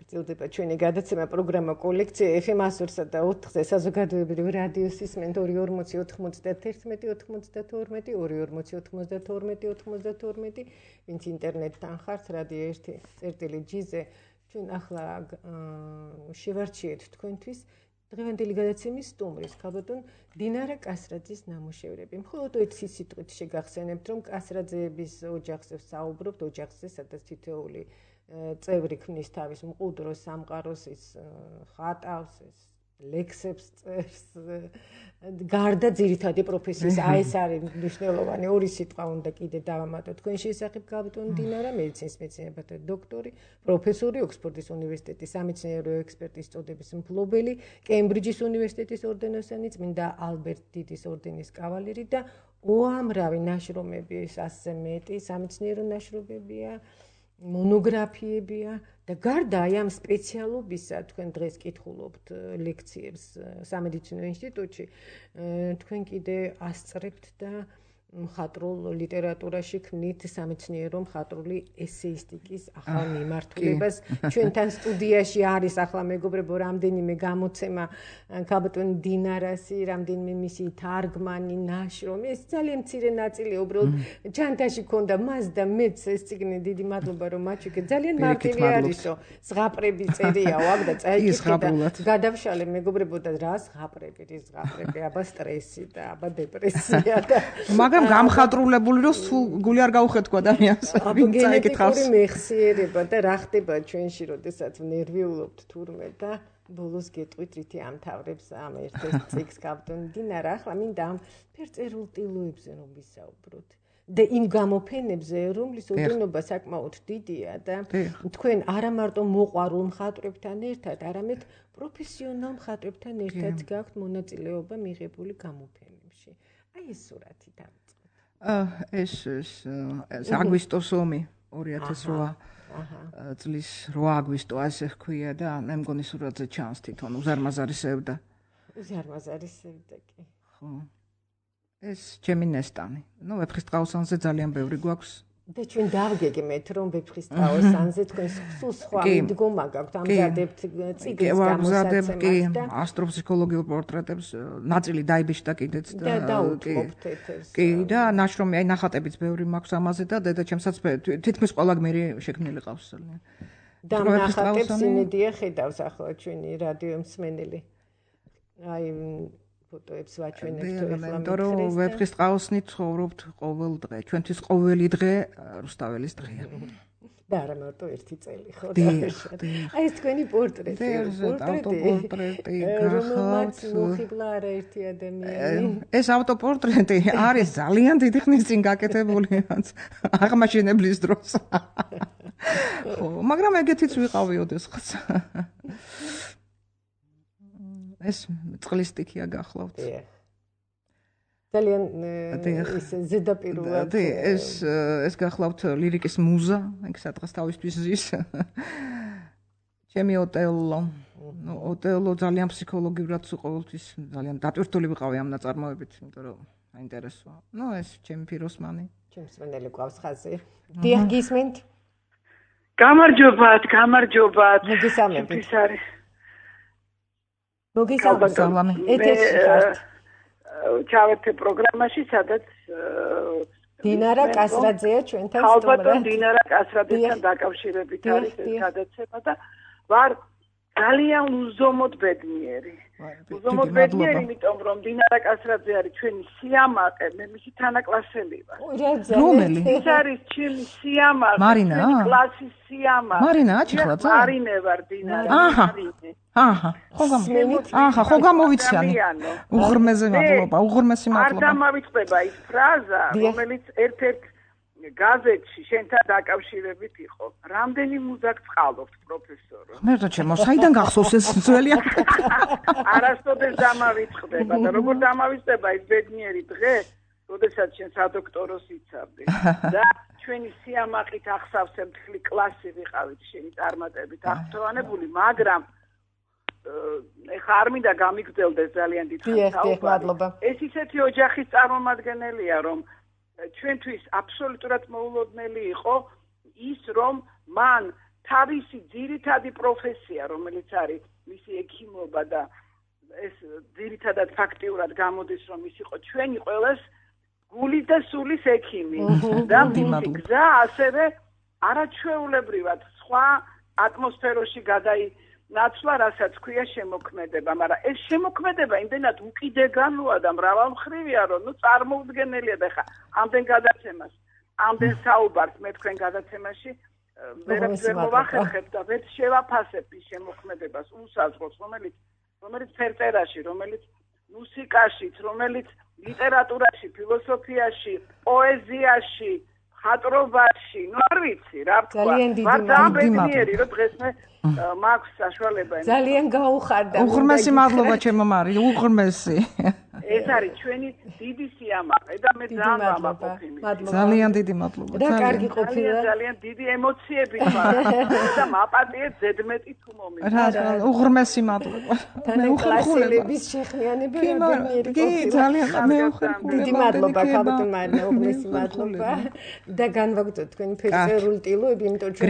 გრძელდება ჩვენი გადაცემა პროგრამა კოლექცია ეფ ემ one oh four და ოთხზე საზოგადოებრივი რადიოს ისმენთ ორი ორმოცი ოთხმოცდაათი ოცდათორმეტი ორი ორმოცი ოთხმოცდათორმეტი ოცდათორმეტი ვინც ინტერნეტთან ხართ რადიო ერთი წერტილი ჯი-ზე ჩვენ ახლა შევარჩიეთ თქვენთვის დღევანდელი გადაცემის სტუმრის ქალბატონ დინარა კასრაძის ნამუშევრები. მხოლოდ ერთი სიტყვით შეგახსენებთ, რომ კასრაძეების ოჯახზე ვსაუბრობთ, ოჯახზე, სადაც თითოეული წევრი ქმნის თავის მყუდროს სამყაროს, ის ხატავს, ის ლექსებს წერს, გარდა ძირითადი პროფესიის, აი ეს არის მნიშვნელოვანი ორი სიტყვა უნდა კიდე დავამატოთ თქვენ შესახებ ქალბატონ დინარა, მედიცინის მეცნიერებათა დოქტორი, პროფესორი, ოქსფორდის უნივერსიტეტის სამეცნიერო ექსპერტის წოდების მფლობელი, კემბრიჯის უნივერსიტეტის ორდენოსანი, წმინდა ალბერტ დიდის ორდენის კავალერი და უამრავი ნაშრომები, ასზე მეტი სამეცნიერო ნაშრომებია. მონოგრაფიებია და გარდა აი ამ სპეციალობისა თქვენ დღეს კითხულობთ ლექციებს სამედიცინო ინსტიტუტში თქვენ კიდე ასწრებთ და მხატვრულ ლიტერატურაში ქმნით სამეცნიერო მხატვრული ესეისტიკის ახალ მიმართულებას. ჩვენთან სტუდიაში არის ახლა მეგობრებო რამდენიმე გამოცემა ქალბატონ დინარასი, რამდენიმე მისი თარგმანი, ნაშრომი. ეს ძალიან მცირე ნაწილია, უბრალოდ ჩანთაში ქონდა მას და მეც ეს წიგნი, დიდი მადლობა რომ მაჩვენეთ. ძალიან მარტივი არისო, ზღაპრები წერიაო აქ და წაიკითხე და გადავშალე მეგობრებო და რა ზღაპრები, რის ზღაპრები, აბა სტრესი და აბა დეპრესია და მაგრამ გამხატრულებული რომ სულ გული არ გაუხეთქვა ადამიანს. გენეტიკური მეხსიერება და რა ხდება ჩვენში, როდესაც ნერვიულობთ თურმე და ბოლოს გეტყვით რითი ამთავრებს ამ ერთ-ერთ წიგნს ქალბატონ დინარა. ახლა მინდა ამ ფერწერულ ტილოებზე რომ ვისაუბროთ. და იმ გამოფენებზე, რომლის ოდენობა საკმაოდ დიდია და თქვენ არა მარტო მოყვარულ მხატვრებთან ერთად, არამედ პროფესიონალ მხატვრებთან ერთად გაქვთ მონაწილეობა მიღებული გამოფენებში. აი ეს სურათი დავიწყოთ. ეს ეს აგვისტოს ომი ორი ათას რვა წლის რვა აგვისტო ასე ჰქვია და მე მგონი სურათზე ჩანს თვითონ უზარმაზარისევდა. უზარმაზარისევდა კი. ხო. ეს ჩემი ნესტანი. ნუ ვეფხისტყაოსანზე ძალიან ბევრი გვაქვს. და ჩვენ დავგეგმეთ რომ ვეფხისტყაოსანზე თქვენ სულ სხვა მიდგომა გაქვთ ამზადებთ წიგნის გამოსაცემად და ასტროფსიქოლოგიურ პორტრეტებს ნაწილი დაიბეჭდა კიდეც და დაუთმობთ კი და ნაშრომი აი ნახატებიც ბევრი მაქვს ამაზე და დედაჩემსაც თითქმის ყველა გმირი შექმნილი ყავს ძალიან. და ნახატებს იმედია ხედავს ახლა ჩვენი რადიო მსმენელი. აი ფოტოებს ვაჩვენებთ ახლა მეტყველებს. ვეფხისტყაოსნით ცხოვრობთ ყოველ დღე. ჩვენთვის ყოველი დღე რუსთაველის დღეა. და არა მარტო ერთი წელი ხო და აი ეს თქვენი პორტრეტი, ავტოპორტრეტი გახავთ. მოხიბლა არა ერთი ადამიანი. ეს ავტოპორტრეტი არის ძალიან დიდი ხნის წინ გაკეთებული აღმაშენებლის დროს. ხო, მაგრამ ეგეთიც ვიყავი ოდესღაც. ეს წყლის სტიქია გახლავთ. ძალიან ის ზედაპირულად ეს ეს გახლავთ ლირიკის მუზა, ეგ სადღაც თავისთვის ზის. ჩემი ოტელო. ნუ ოტელო ძალიან ფსიქოლოგიურად ყოველთვის ძალიან დატვირთული ვიყავი ამ ნაწარმოებით, იმიტომ რომ აინტერესოა. ნუ ეს ჩემი ფიროსმანი. ჩემს მენელი ყავს ხაზი. დიახ გისმენთ? გამარჯობათ, გამარჯობათ. მოგესალმებით. არის მოგესალმებით. ეთერში ხართ. ჩავერთე პროგრამაში, სადაც დინარა კასრაძეა ჩვენთან სტუმრად. ალბათ დინარა კასრაძესთან დაკავშირებით არის ეს გადაცემა და ვარ ძალიან უზომოდ ბედნიერი. უზომოდ ბედნიერი, იმიტომ რომ დინარა კასრაძე არის ჩვენი სიამაყე, მე მისი თანაკლასელი ვარ. რომელი? ეს არის ჩემი სიამაყე, ჩვენი კლასის სიამაყე. მარინა აჩხლაძე? მარინე ვარ დინარა. აჰა. აჰა. ხო გამოვიცანი. აჰა, ხო გამოვიცანი. უღრმეზე მადლობა, უღრმესი მადლობა. არ დამავიწყდება ის ფრაზა, რომელიც ერთ-ერთ გაზეთში შენთან დაკავშირებით იყო. რამდენი მუზა გწყალობთ, პროფესორო? მერტო ჩემო, საიდან გახსოვს ეს ძველი? არასოდეს დამავიწყდება და როგორ დამავიწყდება ის ბედნიერი დღე, როდესაც შენ სადოქტოროს იცავდი და ჩვენი სიამაყით ახსავსე მთლი კლასი ვიყავით შენი წარმატებით აღფრთოვანებული, მაგრამ ეხა არ მინდა გამიგრძელდეს ძალიან დიდხანს საუბარი. ეს ისეთი ოჯახის წარმომადგენელია, რომ ჩვენთვის აბსოლუტურად მოულოდნელი იყო ის, რომ მან თავისი ძირითადი პროფესია, რომელიც არის მისი ექიმობა და ეს ძირითადად ფაქტიურად გამოდის, რომ ის იყო ჩვენი ყველას გულის და სულის ექიმი და მისი გზა ასევე არაჩვეულებრივად სხვა ატმოსფეროში გადაინაცვლა, რასაც ქვია შემოქმედება, მაგრამ ეს შემოქმედება იმდენად უკიდეგანოა და მრავალმხრივია, რომ ნუ წარმოუდგენელია და ხა ამდენ გადაცემას, ამდენ საუბარს მე თქვენ გადაცემაში ვერაფერს ვერ მოვახერხებ და ვერ შევაფასებ ის შემოქმედებას უსაზღვროს, რომელიც რომელიც ფერწერაში, რომელიც მუსიკაში, რომელიც ლიტერატურაში, ფილოსოფიაში, პოეზიაში, ხატრობაში, ნუ არ ვიცი რა თქვა. ვარ დამბედნიერი, რომ დღეს მე მაქვს საშუალება. ძალიან გაუხარდა. უღრმესი მადლობა ჩემო მარი, უღრმესი. ეს არის ჩვენი დიდი სიამაყე და მე ძალიან ვამაყობ იმით. ძალიან დიდი მადლობა. და კარგი ყოფილა. ძალიან დიდი ემოციები ვარ და მაპატიეთ ზედმეტი თუ მომიყვანს. რა, უღრმესი მადლობა. მე უხერხულების შეხნიანება ბედნიერი ყოფილა. კი, ძალიან მე უხერხულება. დიდი მადლობა ქალბატონ მარინა, უღრმესი მადლობა. და განვაგრძოთ თქვენი ფერწერული ტილოები, იმიტომ ჩვენ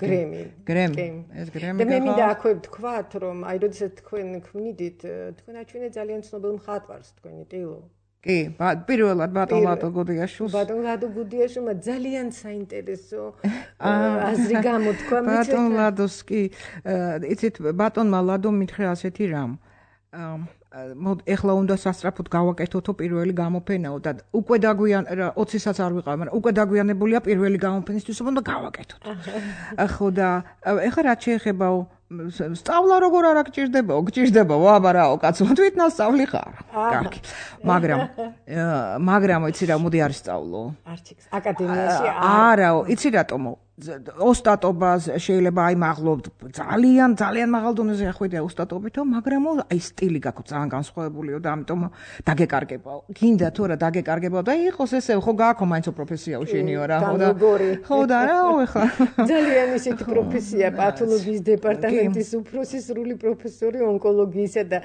გრემი. გრემი. ეს გრემი. და მე მინდა აქვე ვთქვათ, რომ აი როდესაც თქვენ ქმნიდით, თქვენ აჩვენეთ ძალიან ცნობილ მხატვარს თქვენი ტილო. კი, პირველად ბატონ ლადო გუდიაშვილს. ბატონ ლადო გუდიაშვილმა ძალიან საინტერესო აზრი გამოთქვა. ბატონ ლადოს კი, იცით, ბატონმა ლადომ მითხრა ასეთი რამ. მოდ ეხლა უნდა სასწრაფოდ გავაკეთოთო პირველი გამოფენაო და უკვე დაგვიან ოცისაც არ ვიყავ, მაგრამ უკვე დაგვიანებულია პირველი გამოფენისთვის, უნდა გავაკეთოთ. ხო და ეხლა რაც შეეხებაო სწავლა როგორ არა გჭირდებაო, გჭირდებაო, აბა რაო კაცო, თვით ნასწავლი ხარ. კარგი. მაგრამ მაგრამ იცი რა, მოდი არ სწავლო. არჩიქს აკადემიაში არაო, იცი რატომო? ოსტატობას შეიძლება აი მაღლობ ძალიან ძალიან მაღალ დონეზე ახვიდე ოსტატობითო, მაგრამ აი სტილი გაქვს ძალიან განსხვავებულიო და ამიტომ დაგეკარგებაო. გინდა თუ რა დაგეკარგებაო და იყოს ესე ხო გააქო მაინც პროფესიაო შენიო რა, ხო და ხო და რაო ეხლა ძალიან ისეთი პროფესია პათოლოგიის დეპარტამენტის უფროსი სრული პროფესორი ონკოლოგიისა და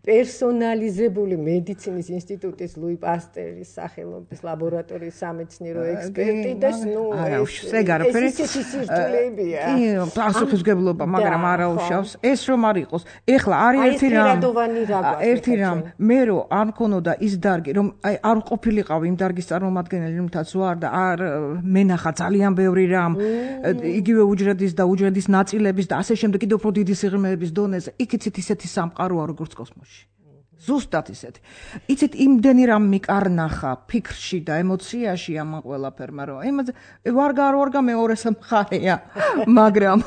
პერსონალიზებული მედიცინის ინსტიტუტის ლუი პასტერის სახელობის ლაბორატორიის სამეცნიერო ექსპერტი და ნუ ეს ისეთი სირთულეებია. კი, პასუხისმგებლობა, მაგრამ არა უშავს. ეს რომ არ იყოს. ეხლა არის ერთი რამ. ერთი რამ, მე რო არ მქონოდა ის დარგი, რომ აი არ ყოფილიყავ იმ დარგის წარმომადგენელი, რომელთაც ვარ და არ მენახა ძალიან ბევრი რამ, იგივე უჯრედის და უჯრედის ნაწილების და ასე შემდეგ კიდევ უფრო დიდი სიღრმეების დონეზე. იქიცით ისეთი სამყაროა როგორც კოსმოსში. ზუსტად ისეთი. იცით იმდენი რამ მიკარნახა ფიქრში და ემოციაში ამ ყველაფერმა, რომ იმაზე ვარ გარ ვარ მეორეს მხარეა, მაგრამ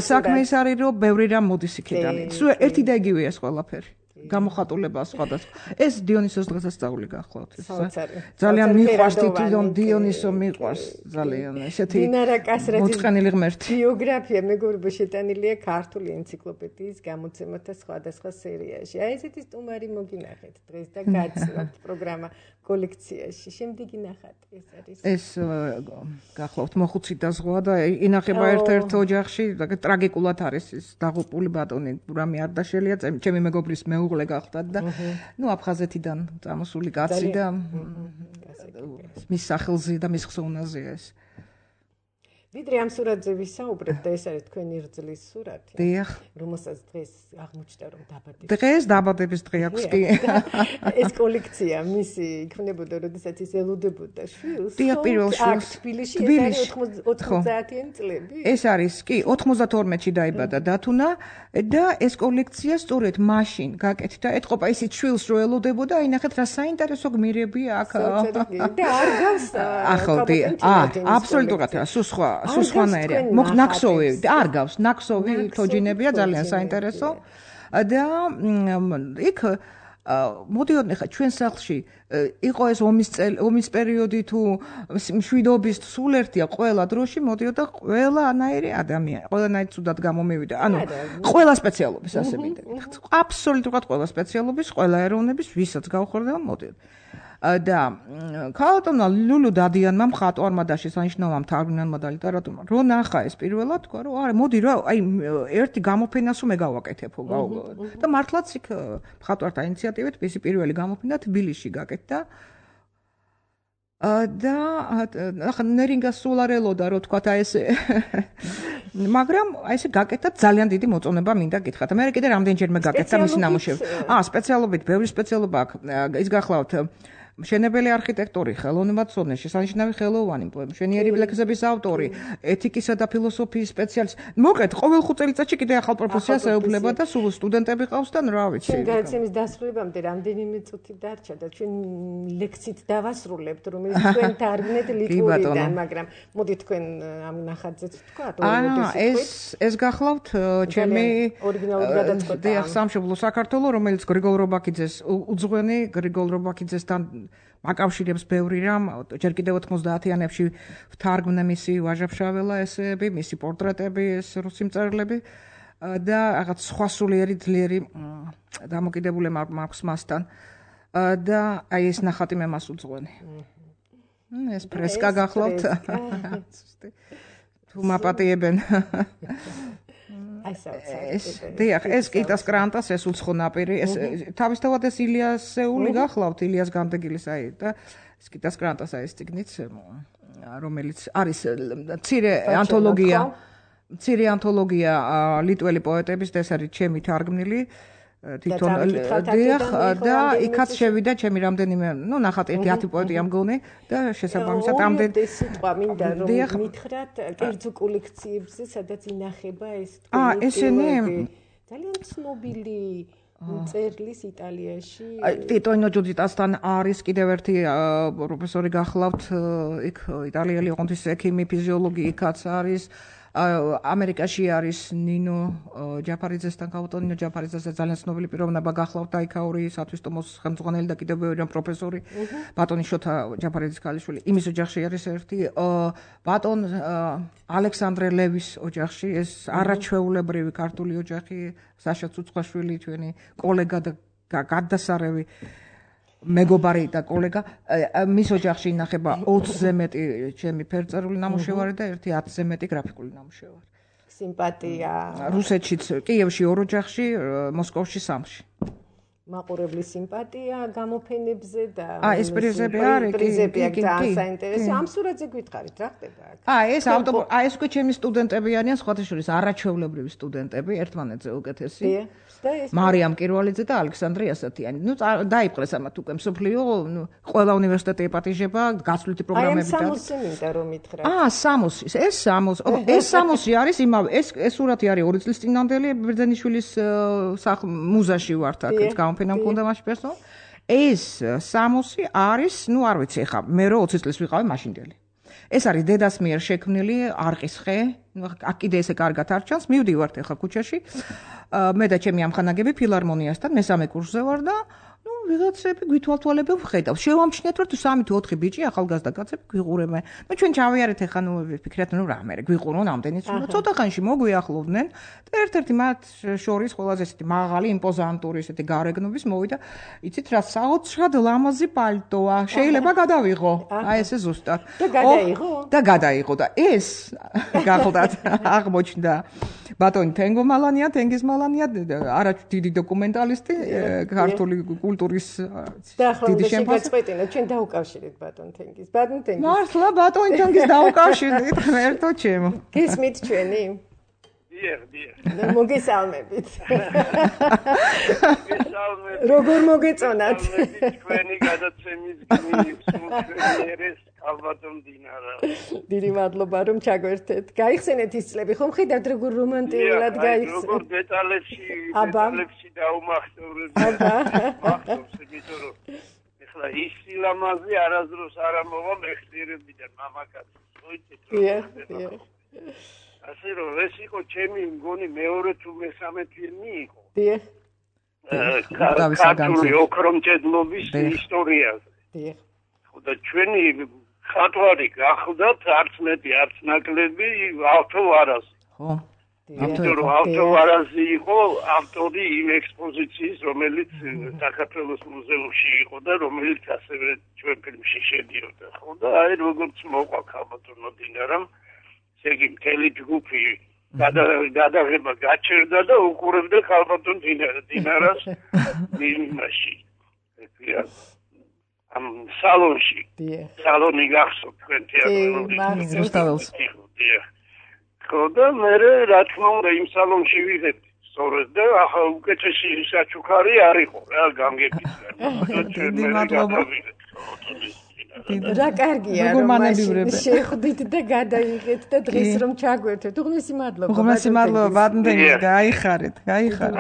საქმე ის არის, რომ ბევრი რამ მოდის იქიდან. სულ ერთი და იგივეა ეს ყველაფერი. გამოხატულება სხვადასხვა. ეს დიონისოს დღესასწაული გახლავთ. ძალიან მიყვარს თვითონ დიონისო მიყვარს ძალიან. ესეთი მოწყენილი ღმერთი. ბიოგრაფია მეგობრებო შეტანილია ქართული ენციკლოპედიის გამოცემათა სხვადასხვა სერიაში. აი ესეთი სტუმარი მოგინახეთ დღეს და გაცნობთ პროგრამა კოლექციაში. შემდეგი ნახატ ეს არის. ეს გახლავთ მოხუცი და ზღვა და ინახება ერთ-ერთ ოჯახში და ტრაგიკულად არის ის დაღუპული ბატონი. რამე არ დაშელია ჩემი მეგობრის მე უღლე გახდათ და ნუ აფხაზეთიდან წამოსული კაცი და მის სახელზე და მის ხსოვნაზეა ეს. ვიდრე ამ სურათზე ვისაუბრებ და ეს არის თქვენი რძლის სურათი. დიახ. რომელსაც დღეს აღმოჩნდა რომ დაბადების. დღეს დაბადების დღე აქვს კი. ეს კოლექცია მისი იქნებოდა, როდესაც ის ელოდებოდა შვილს. დიახ, პირველ შვილს. თბილისში ეს არის ოცდაათიანი წლები. ეს არის კი ოცდაათში დაიბადა დათუნა და ეს კოლექცია სწორედ მაშინ გაკეთდა. ეთყობა ისიც შვილს რო ელოდებოდა, აინახეთ რა საინტერესო გმირებია აქ. და არ გავს ახლა აა აბსოლუტურად სულ სხვა სულ სხვანაირია. მოგ ნაქსოვი არ გავს, ნაქსოვი თოჯინებია ძალიან საინტერესო. და იქ მოდიოდნენ ხა ჩვენ სახლში იყო ეს ომის ომის პერიოდი თუ მშვიდობის სულ ერთია ყველა დროში მოდიოდა ყველანაირი ადამიანი, ყველანაირი ცუდად გამომივიდა. ანუ ყველა სპეციალობის ასე მინდა. აბსოლუტურად ყველა სპეციალობის, ყველა ეროვნების ვისაც გავხორდება მოდიოდა. და ქალბატონმა ლულუ დადიანმა მხატვარმა და შესანიშნავმა მთარგმნელმა და ლიტერატურმა რო ნახა ეს პირველად თქვა რომ არა მოდი რა აი ერთი გამოფენას მე გავაკეთებო და მართლაც იქ მხატვართა ინიციატივით მისი პირველი გამოფენა თბილისში გაკეთდა და ახლა ნერინგა სულ არ ელოდა რო თქვა აი ეს მაგრამ აი ესე გაკეთდა ძალიან დიდი მოწონება მინდა გითხრათ მე კიდე რამდენჯერმე გაკეთდა მისი ნამუშევარი აა სპეციალობით ბევრი სპეციალობა აქვს ის გახლავთ მშენებელი არქიტექტორი, ხელოვნებაცოდნე, შესანიშნავი ხელოვანი, მშვენიერი ლექსების ავტორი, ეთიკისა და ფილოსოფიის სპეციალისტი. მოკლედ, ყოველ ხუთ წელიწადში კიდე ახალ პროფესიას ეუფლება და სულ სტუდენტები ყავს და რა ვიცი. ჩვენ განათლების დასრულებამდე რამდენიმე წუთი დარჩა და ჩვენ ლექციით დავასრულებთ, რომელიც თქვენ თარგმნეთ ლიტვურიდან, მაგრამ მოდი თქვენ ამ ნახატზეც ვთქვათ, აა ეს ეს გახლავთ ჩემი ორიგინალური გადაწყვეტა. დიახ, სამშობლო საქართველო, რომელიც გრიგოლ რობაქიძეს უძღვენი გრიგოლ რობაქიძესთან მაკავშირებს ბევრი რამ, ჯერ კიდევ ოცდაათიანებში ვთარგმნე მისი ვაჟა-ფშაველა ესეები, მისი პორტრეტები, ეს რუსი მწერლები და რაღაც სხვა სულიერი ძლიერი დამოკიდებულება მაქვს მასთან. და აი ეს ნახატი მე მას უძღვენი. ეს ფრესკა გახლავთ. თუ მაპატიებენ. ეს დიახ, ეს კიტას კრანტას ეს უცხო ნაპირი, ეს თავისთავად ეს ილიასეული გახლავთ, ილიას გამდეგილის აი და ეს კიტას კრანტას აი ეს ციგნიც, რომელიც არის მცირე ანთოლოგია, მცირე ანთოლოგია ლიტველი პოეტების და ეს არის ჩემი თარგმნილი თვითონ დიახ და იქაც შევიდა ჩემი რამდენიმე, ნუ ნახატი ერთი ათი პოეტია მგონი და შესაბამისად ამდენ ეს სიტყვა მინდა რომ მითხრათ კერძო კოლექციებზე, სადაც ინახება ეს თქვენი აა ესენი ძალიან ცნობილი წერლის იტალიაში ტიტონო ჯუჯიტასთან არის კიდევ ერთი პროფესორი გახლავთ იქ იტალიელი ოღონდის ექიმი ფიზიოლოგი იქაც არის ამერიკაში არის ნინო ჯაფარიძესთან ქალბატონ ნინო ჯაფარიძესთან ძალიან ცნობილი პიროვნება გახლავთ აიქაური სათვისტომოს ხელმძღვანელი და კიდევ ბევრი პროფესორი ბატონი შოთა ჯაფარიძის ქალიშვილი იმის ოჯახში არის ერთი ბატონ ალექსანდრე ლევის ოჯახში ეს არაჩვეულებრივი ქართული ოჯახი საშა ცუცხვაშვილი ჩვენი კოლეგა და გადასარევი მეგობარი და კოლეგა მის ოჯახში ინახება ოცზე მეტი ჩემი ფერწერული ნამუშევარი და ერთი ათზე მეტი გრაფიკული ნამუშევარი. სიმპათია. რუსეთშიც, კიევში ორ ოჯახში, მოსკოვში სამში. მაყურებლის სიმპათია გამოფენებზე და აა ეს პრიზები არის პრიზები აქვს ძალიან საინტერესო. ამ სურათზე გითხარით რა ხდება აქ? აა ეს ავტობუსი, აა ეს უკვე ჩემი სტუდენტები არიან, სხვათა შორის არაჩვეულებრივი სტუდენტები, ერთმანეთზე უკეთესი. მარიამ კირვალიძე და ალექსანდრე ასათიანი. ნუ დაიპყრეს ამათ უკვე მსოფლიო, ნუ ყველა უნივერსიტეტი ეპატიჟება, გასვლითი პროგრამები და აი ამ სამოსი მინდა რომ მითხრათ. აა სამოსი, ეს სამოსი, ეს სამოსი არის იმავე, ეს ეს სურათი არის ორი წლის წინანდელი ბერძენიშვილის მუზაში ვართ აქ გამოფენა მქონდა მაშინ პერსონალ. ეს სამოსი არის, ნუ არ ვიცი ხა, მე რო ოცი წლის ვიყავი მაშინდელი. ეს არის დედას მიერ შექმნილი არყის ხე, აქ კიდე ესე კარგად არ ჩანს, მივდივართ ახლა ქუჩაში. მე და ჩემი ამხანაგები ფილარმონიასთან მესამე კურსზე ვარ და ნუ ვიღაცები გვითვალთვალებენ ვხედავ. შევამჩნიათ რომ თუ სამი თუ ოთხი ბიჭი ახალგაზრდა კაცები გვიყურებენ. ნუ ჩვენ ჩავიარეთ ახლა ნუ ვფიქრეთ ნუ რა მე გვიყურონ ამდენიც ნუ ცოტა ხანში მოგვიახლოვდნენ და ერთ-ერთი მათ შორის ყველაზე ესეთი მაღალი იმპოზანტური ესეთი გარეგნობის მოვიდა. იცით რა საოცრად ლამაზი პალტოა. შეიძლება გადავიღო. აი ესე ზუსტად. და გადაიღო? და გადაიღო და ეს გახლდათ აღმოჩნდა ბატონი თენგომალანია, თენგიზმალანია, არა დიდი დოკუმენტალისტი, ქართული კულტურის დიდი შემფასე. ჩვენ დაუკავშირეთ ბატონ თენგიზ. ბატონ თენგიზ. მართლა ბატონ თენგიზ დაუკავშირეთ, ღმერთო ჩემო. გესმით ჩვენი? დიახ, დიახ. მოგესალმებით. მოგესალმებით. როგორ მოგეწონათ? ჩვენი გადაცემის გმირის მუქერეს ალბათონ დინარა. დიდი მადლობა რომ ჩაგვერთეთ. გაიხსენეთ ის წლები, ხომ ხედავთ როგორ რომანტიულად გაიხსენეთ. როგორ დეტალებში, დეტალებში დაუმახსოვრეთ. აბა. მახსოვს იმიტომ რომ ეხლა ის სილამაზე არასდროს არ ამოვა მეხსიერებიდან მამაკაცს. მოიცით რომ. დიახ, დიახ. ასე რომ ეს იყო ჩემი მგონი მეორე თუ მესამე ფილმი იყო. დიახ. ქართული ოქრომჭედლობის ისტორიაზე. დიახ. და ჩვენი ხატვარი გახდათ არც მეტი არც ნაკლები ავთო ვარაზი. ხო. ავთო ვარაზი იყო ავტორი იმ ექსპოზიციის, რომელიც საქართველოს მუზეუმში იყო და რომელიც ასევე ჩვენ ფილმში შედიოდა. ხო და აი როგორც მოყვა ქალბატონო დინარამ, ესე იგი მთელი ჯგუფი გადაღება გაჩერდა და უყურებდა ქალბატონ დინარას იმაში. ამ სალონში. სალონი გახსოვთ თქვენ თეატრალური ზუსტად. ხო და მე რა თქმა უნდა იმ სალონში ვიღებდი. სწორედ და ახლა უკეთესი საჩუქარი არ იყო რა გამგების. დიდი მადლობა. რა კარგია რომ შეხვდით და გადაიღეთ და დღეს რომ ჩაგვერთვეთ. უღმესი მადლობა. უღმესი მადლობა ბატონ თენგიზ, გაიხარეთ, გაიხარეთ.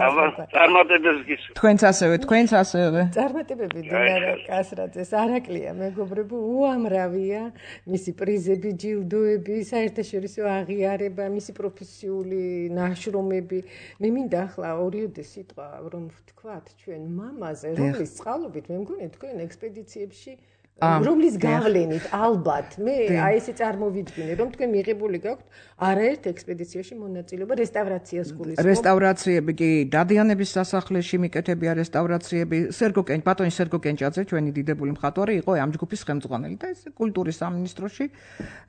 წარმატებებს გისურვებთ. თქვენც ასევე, თქვენც ასევე. წარმატებები დინარა კასრაძეს, არაკლია მეგობრებო, უამრავია მისი პრიზები, ჯილდოები, საერთაშორისო აღიარება, მისი პროფესიული ნაშრომები. მე მინდა ახლა ორიოდე სიტყვა რომ ვთქვათ ჩვენ მამაზე, რომლის წყალობით მე მგონი თქვენ ექსპედიციებში რომლის გავლენით ალბათ მე აი ესე წარმოვიდგინე რომ თქვენ მიღებული გაქვთ არაერთ ექსპედიციაში მონაწილეობა რესტავრაციას გულისხმობ რესტავრაციები კი დადიანების სასახლეში მიკეთებია რესტავრაციები სერგო კენ ბატონი სერგო კენჭაძე ჩვენი დიდებული მხატვარი იყო ამ ჯგუფის ხელმძღვანელი და ეს კულტურის სამინისტროში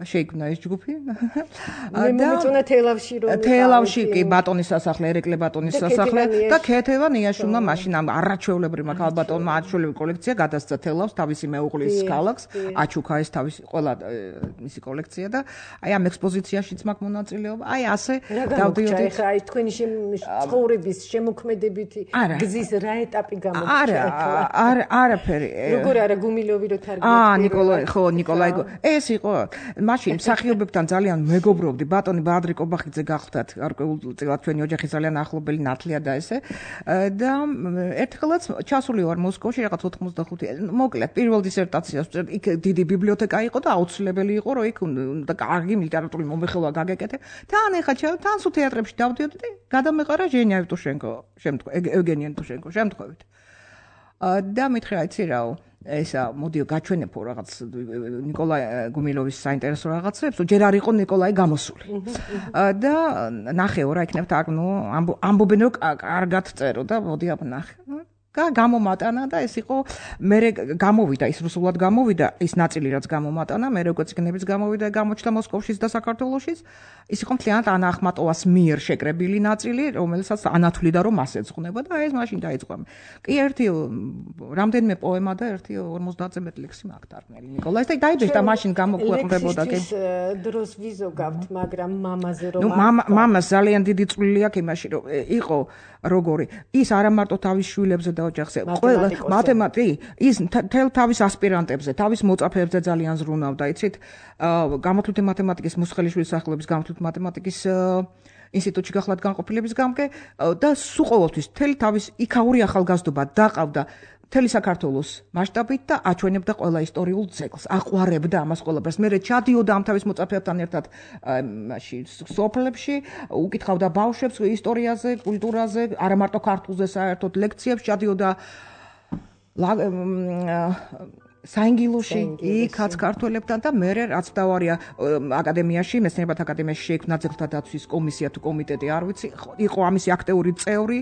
შეიქმნა ეს ჯგუფი მე მომეწონა თელავში რომ თელავში კი ბატონის სასახლე ერეკლე ბატონის სასახლე და ქეთევა ნიაშუნა მაშინ ამ არაჩვეულებრივმა ქალბატონმა არაჩვეულებრივი კოლექცია გადასცა თელავს თავისი მეუღლის ქალაქს აჩუქა ეს თავისი ყველა მისი კოლექცია და აი ამ ექსპოზიციაშიც მაქვს მონაწილეობა აი ასე დავდიოდი ხა აი თქვენი ცხოვრების შემოქმედებითი გზის რა ეტაპი გამოგჩნდა არა არა არაფერი როგორ არა გუმილოვი რო თარგმნით აა ნიკოლაი ხო ნიკოლაი ეს იყო მაშინ მსახიობებთან ძალიან მეგობრობდი ბატონი ბადრი კობახიძე გახლდათ გარკვეულწილად ჩვენი ოჯახი ძალიან ახლობელი ნათლია და ესე და ერთხელაც ჩასული ვარ მოსკოვში რაღაც ოთხმოცდახუთი მოკლედ პირველ დისერტაციას იქ დიდი ბიბლიოთეკა იყო და აუცილებელი იყო რომ იქ და კარგი ლიტერატურული მომხელვა გაგეკეთე თან ეხა თან სულ თეატრებში დავდიოდი და გადამეყარა ჟენია ევტუშენკო შემთხვევით ევგენი ევტუშენკო შემთხვევით და მითხრა იცი რაო ესა მოდიო გაჩვენებო რაღაც ნიკოლაი გუმილოვის საინტერესო რაღაცებს ჯერ არ იყო ნიკოლაი გამოსული და ნახეო რა იქნებ და ნუ ამბობენ რომ კარგად წერო და მოდი აბ ნახე გამომატანა და ეს იყო მე გამოვიდა ის რუსულად გამოვიდა ის ნაწილი რაც გამომატანა მე როგორც იქნების გამოვიდა გამოჩნდა მოსკოვშიც და საქართველოშიც ის იყო მთლიანად ანა ახმატოვას მიერ შეკრებილი ნაწილი რომელსაც ანათვლიდა რომ მას ეძღვნება და ეს მაშინ დაიწყო კი ერთი რამდენიმე პოემა და ერთი ორმოცდაათზე მეტი ლექსი მაქვს თარგმნილი ნიკოლაის და დაიბეჭდა და მაშინ გამოქვეყნდებოდა კი დროს ვიზოგავთ მაგრამ მამაზე რომ მამას ძალიან დიდი წვლილი აქვს იმაში რომ იყო როგორი ის არა მარტო თავის შვილებზე და ოჯახზე ყველა მათემატიკი ის თელ თავის ასპირანტებზე თავის მოწაფეებზე ძალიან ზრუნავდა იცით გამოთვლითი მათემატიკის მუსხელიშვილის სახელობის გამოთვლითი მათემატიკის ინსტიტუტში გახლავთ განყოფილების გამგე და სულ ყოველთვის თელ თავის იქაური ახალგაზრდობა დაყავდა მთელი საქართველოს მასშტაბით და აჩვენებდა ყველა ისტორიულ ძეგლს აყვარებდა ამას ყველაფერს მე ჩადიოდა ამ თავის მოწაფეებთან ერთად მაში სოფლებში უკითხავდა ბავშვებს ისტორიაზე კულტურაზე არა მარტო ქართულზე საერთოდ ლექციებს ჩადიოდა საინგილოში იქაც ქართველებთან და მე რაც დავარია აკადემიაში, მეცნიერებათა აკადემიაში შეიქმნა ძეგლთა დაცვის კომისია თუ კომიტეტი, არ ვიცი, იყო ამისი აქტიური წევრი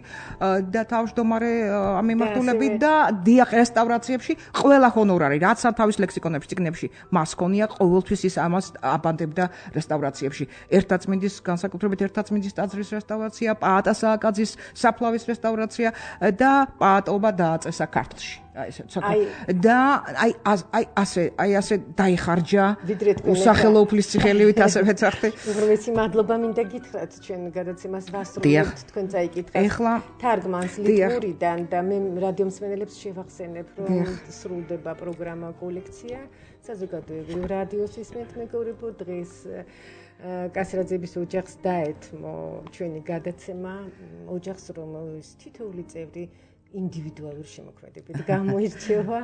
და თავმჯდომარე ამ მიმართულებით და დიახ რესტავრაციებში ყველა ჰონორარი, რაც ამ თავის ლექსიკონებში, წიგნებში მას ქონია, ყოველთვის ის ამას აბანდებდა რესტავრაციებში. ერთაწმინდის განსაკუთრებით ერთაწმინდის ტაძრის რესტავრაცია, პაატა სააკაძის საფლავის რესტავრაცია და პაატობა დააწესა ქართლში. აი ესე ცოტა და აი აი ასე აი ასე დაიხარჯა სახელო უფლისწიხელივით ასე ვეცახდი. უღრმესი მადლობა მინდა გითხრათ ჩვენ გადაცემას ვასრულებთ თქვენ წაიკითხეთ. ეხლა თარგმანს ლიტურიდან და მე რადიო მსმენელებს შევახსენებ რომ სრულდება პროგრამა კოლექცია საზოგადოებრივ რადიოს ისმენთ მეგობრებო დღეს კასრაძეების ოჯახს დაეთმო ჩვენი გადაცემა ოჯახს რომელის თითოეული წევრი ინდივიდუალური შემოქმედებით გამოირჩევა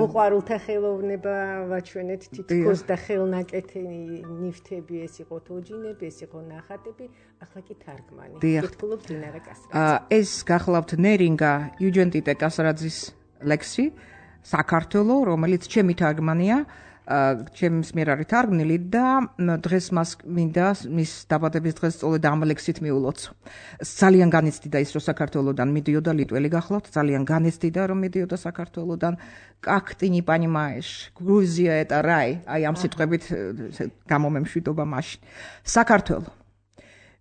მოყვარულთა ხელოვნება ვაჩვენეთ თითქოს და ხელნაკეთი ნივთები ეს იყო თოჯინები ეს იყო ნახატები ახლა კი თარგმანი გითხულობ დინარა კასრაძე ეს გახლავთ ნერინგა იუჯენტიტე კასრაძის ლექსი საქართველო რომელიც ჩემი თარგმანია ჩემს მიერ არის თარგმნილი და დღეს მას მინდა მის დაბადების დღეს სწორედ ამ ლექსით მიულოცო. ძალიან განიცდიდა ის რომ საქართველოდან მიდიოდა ლიტველი გახლავთ, ძალიან განიცდიდა რომ მიდიოდა საქართველოდან. Как ты не понимаешь? Грузия это рай. აი ამ სიტყვებით გამომემშვიდობა მაშინ. საქართველო.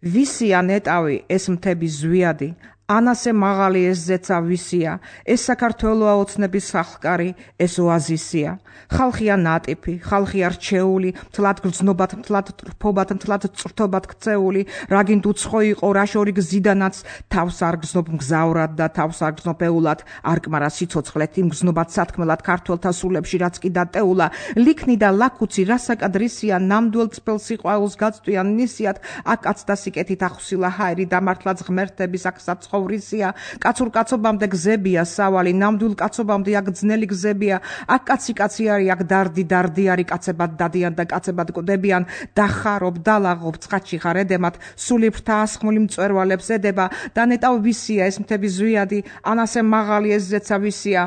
ვისია ნეტავი ეს მთების ზვიადი ანასე მაღალი ეს ზეცა ვისია ეს საქართველოა ოცნების ხალხკარი ეს ოაზისია ხალხია ნატიფი ხალხია რჩეული თლად გრძნობათ თლად ტრფობათ თლად წრთობათ ქცეული რაგინდ უცხო იყო რა შორი გზიდანაც თავს არ გზნობ მგზავრად და თავს არ გზნობ ეულად არკმარა სიცოცხლეთ იმ გზნობათ სათქმელად ქართველთა სულებში რაც კი დატეულა ლიქნი და ლაკუცი რასაკადრისია ნამდვილ წფელ სიყვარულს გაწვიან ნისიათ აქ კაცთა სიკეთით ახსილა ჰაერი დამართლაც ღმერთების აქსაც ხოვრისია კაცურ კაცობამდე გზებია სავალი ნამდვილ კაცობამდე აქ ძნელი გზებია აქ კაცი კაცი არის აქ დარდი დარდი არის კაცებად დადიან და კაცებად კვდებიან დახარობ დალაღობ ცხადში ხარ ედემად სული ფრთა ასხმული მწვერვალებს ედება და ნეტავ ვისია ეს მთების ზვიადი ანასე მაღალი ეს ზეცა ვისია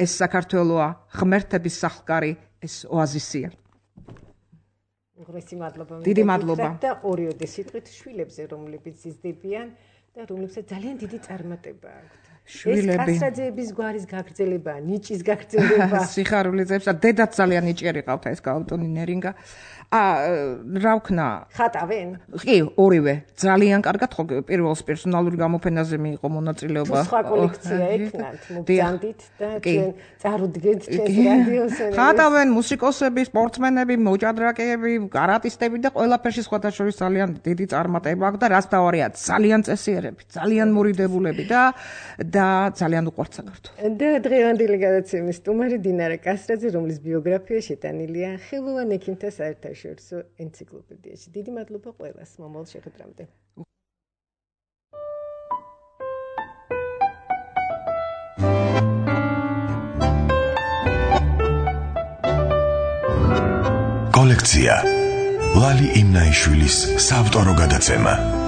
ეს საქართველოა ღმერთების სახლკარი ეს ოაზისია უღრესი მადლობა დიდი მადლობა და ორიოდე სიტყვით შვილებზე რომლებიც იზრდებიან და რომლებსაც ძალიან დიდი წარმატება აქვთ. შვილები. ეს კასრაძეების გვარის გაგრძელება, ნიჭის გაგრძელება. სიხარული ძებს და დედაც ძალიან ნიჭიერი ყავდა ეს გაუტონი ნერინგა. ა რა ვქნა? ხატავენ? კი, ორივე. ძალიან კარგად ხო პირველს პერსონალური გამოფენაზე მიიღო მონაწილეობა. სხვა კოლექცია ეკნათ, მოგზანდით და ჩვენ წარუდგენთ ჩვენს რადიოს. ხატავენ მუსიკოსები, სპორტსმენები, მოჭადრაკეები, კარატისტები და ყველაფერში სხვათა შორის ძალიან დიდი წარმატება აქვს და რაც დავარია, ძალიან წესიერები, ძალიან მორიდებულები და და ძალიან უყვართ საქართველოს. და დღევანდელი გადაცემის სტუმარი დინარა კასრაძე, რომლის ბიოგრაფია შეტანილია ხელოვან ექიმთა საერთაშორისო ენციკლოპედიაში. დიდი მადლობა ყველას მომავალ შეხვედრამდე. კოლექცია ლალი იმნაიშვილის საავტორო გადაცემა.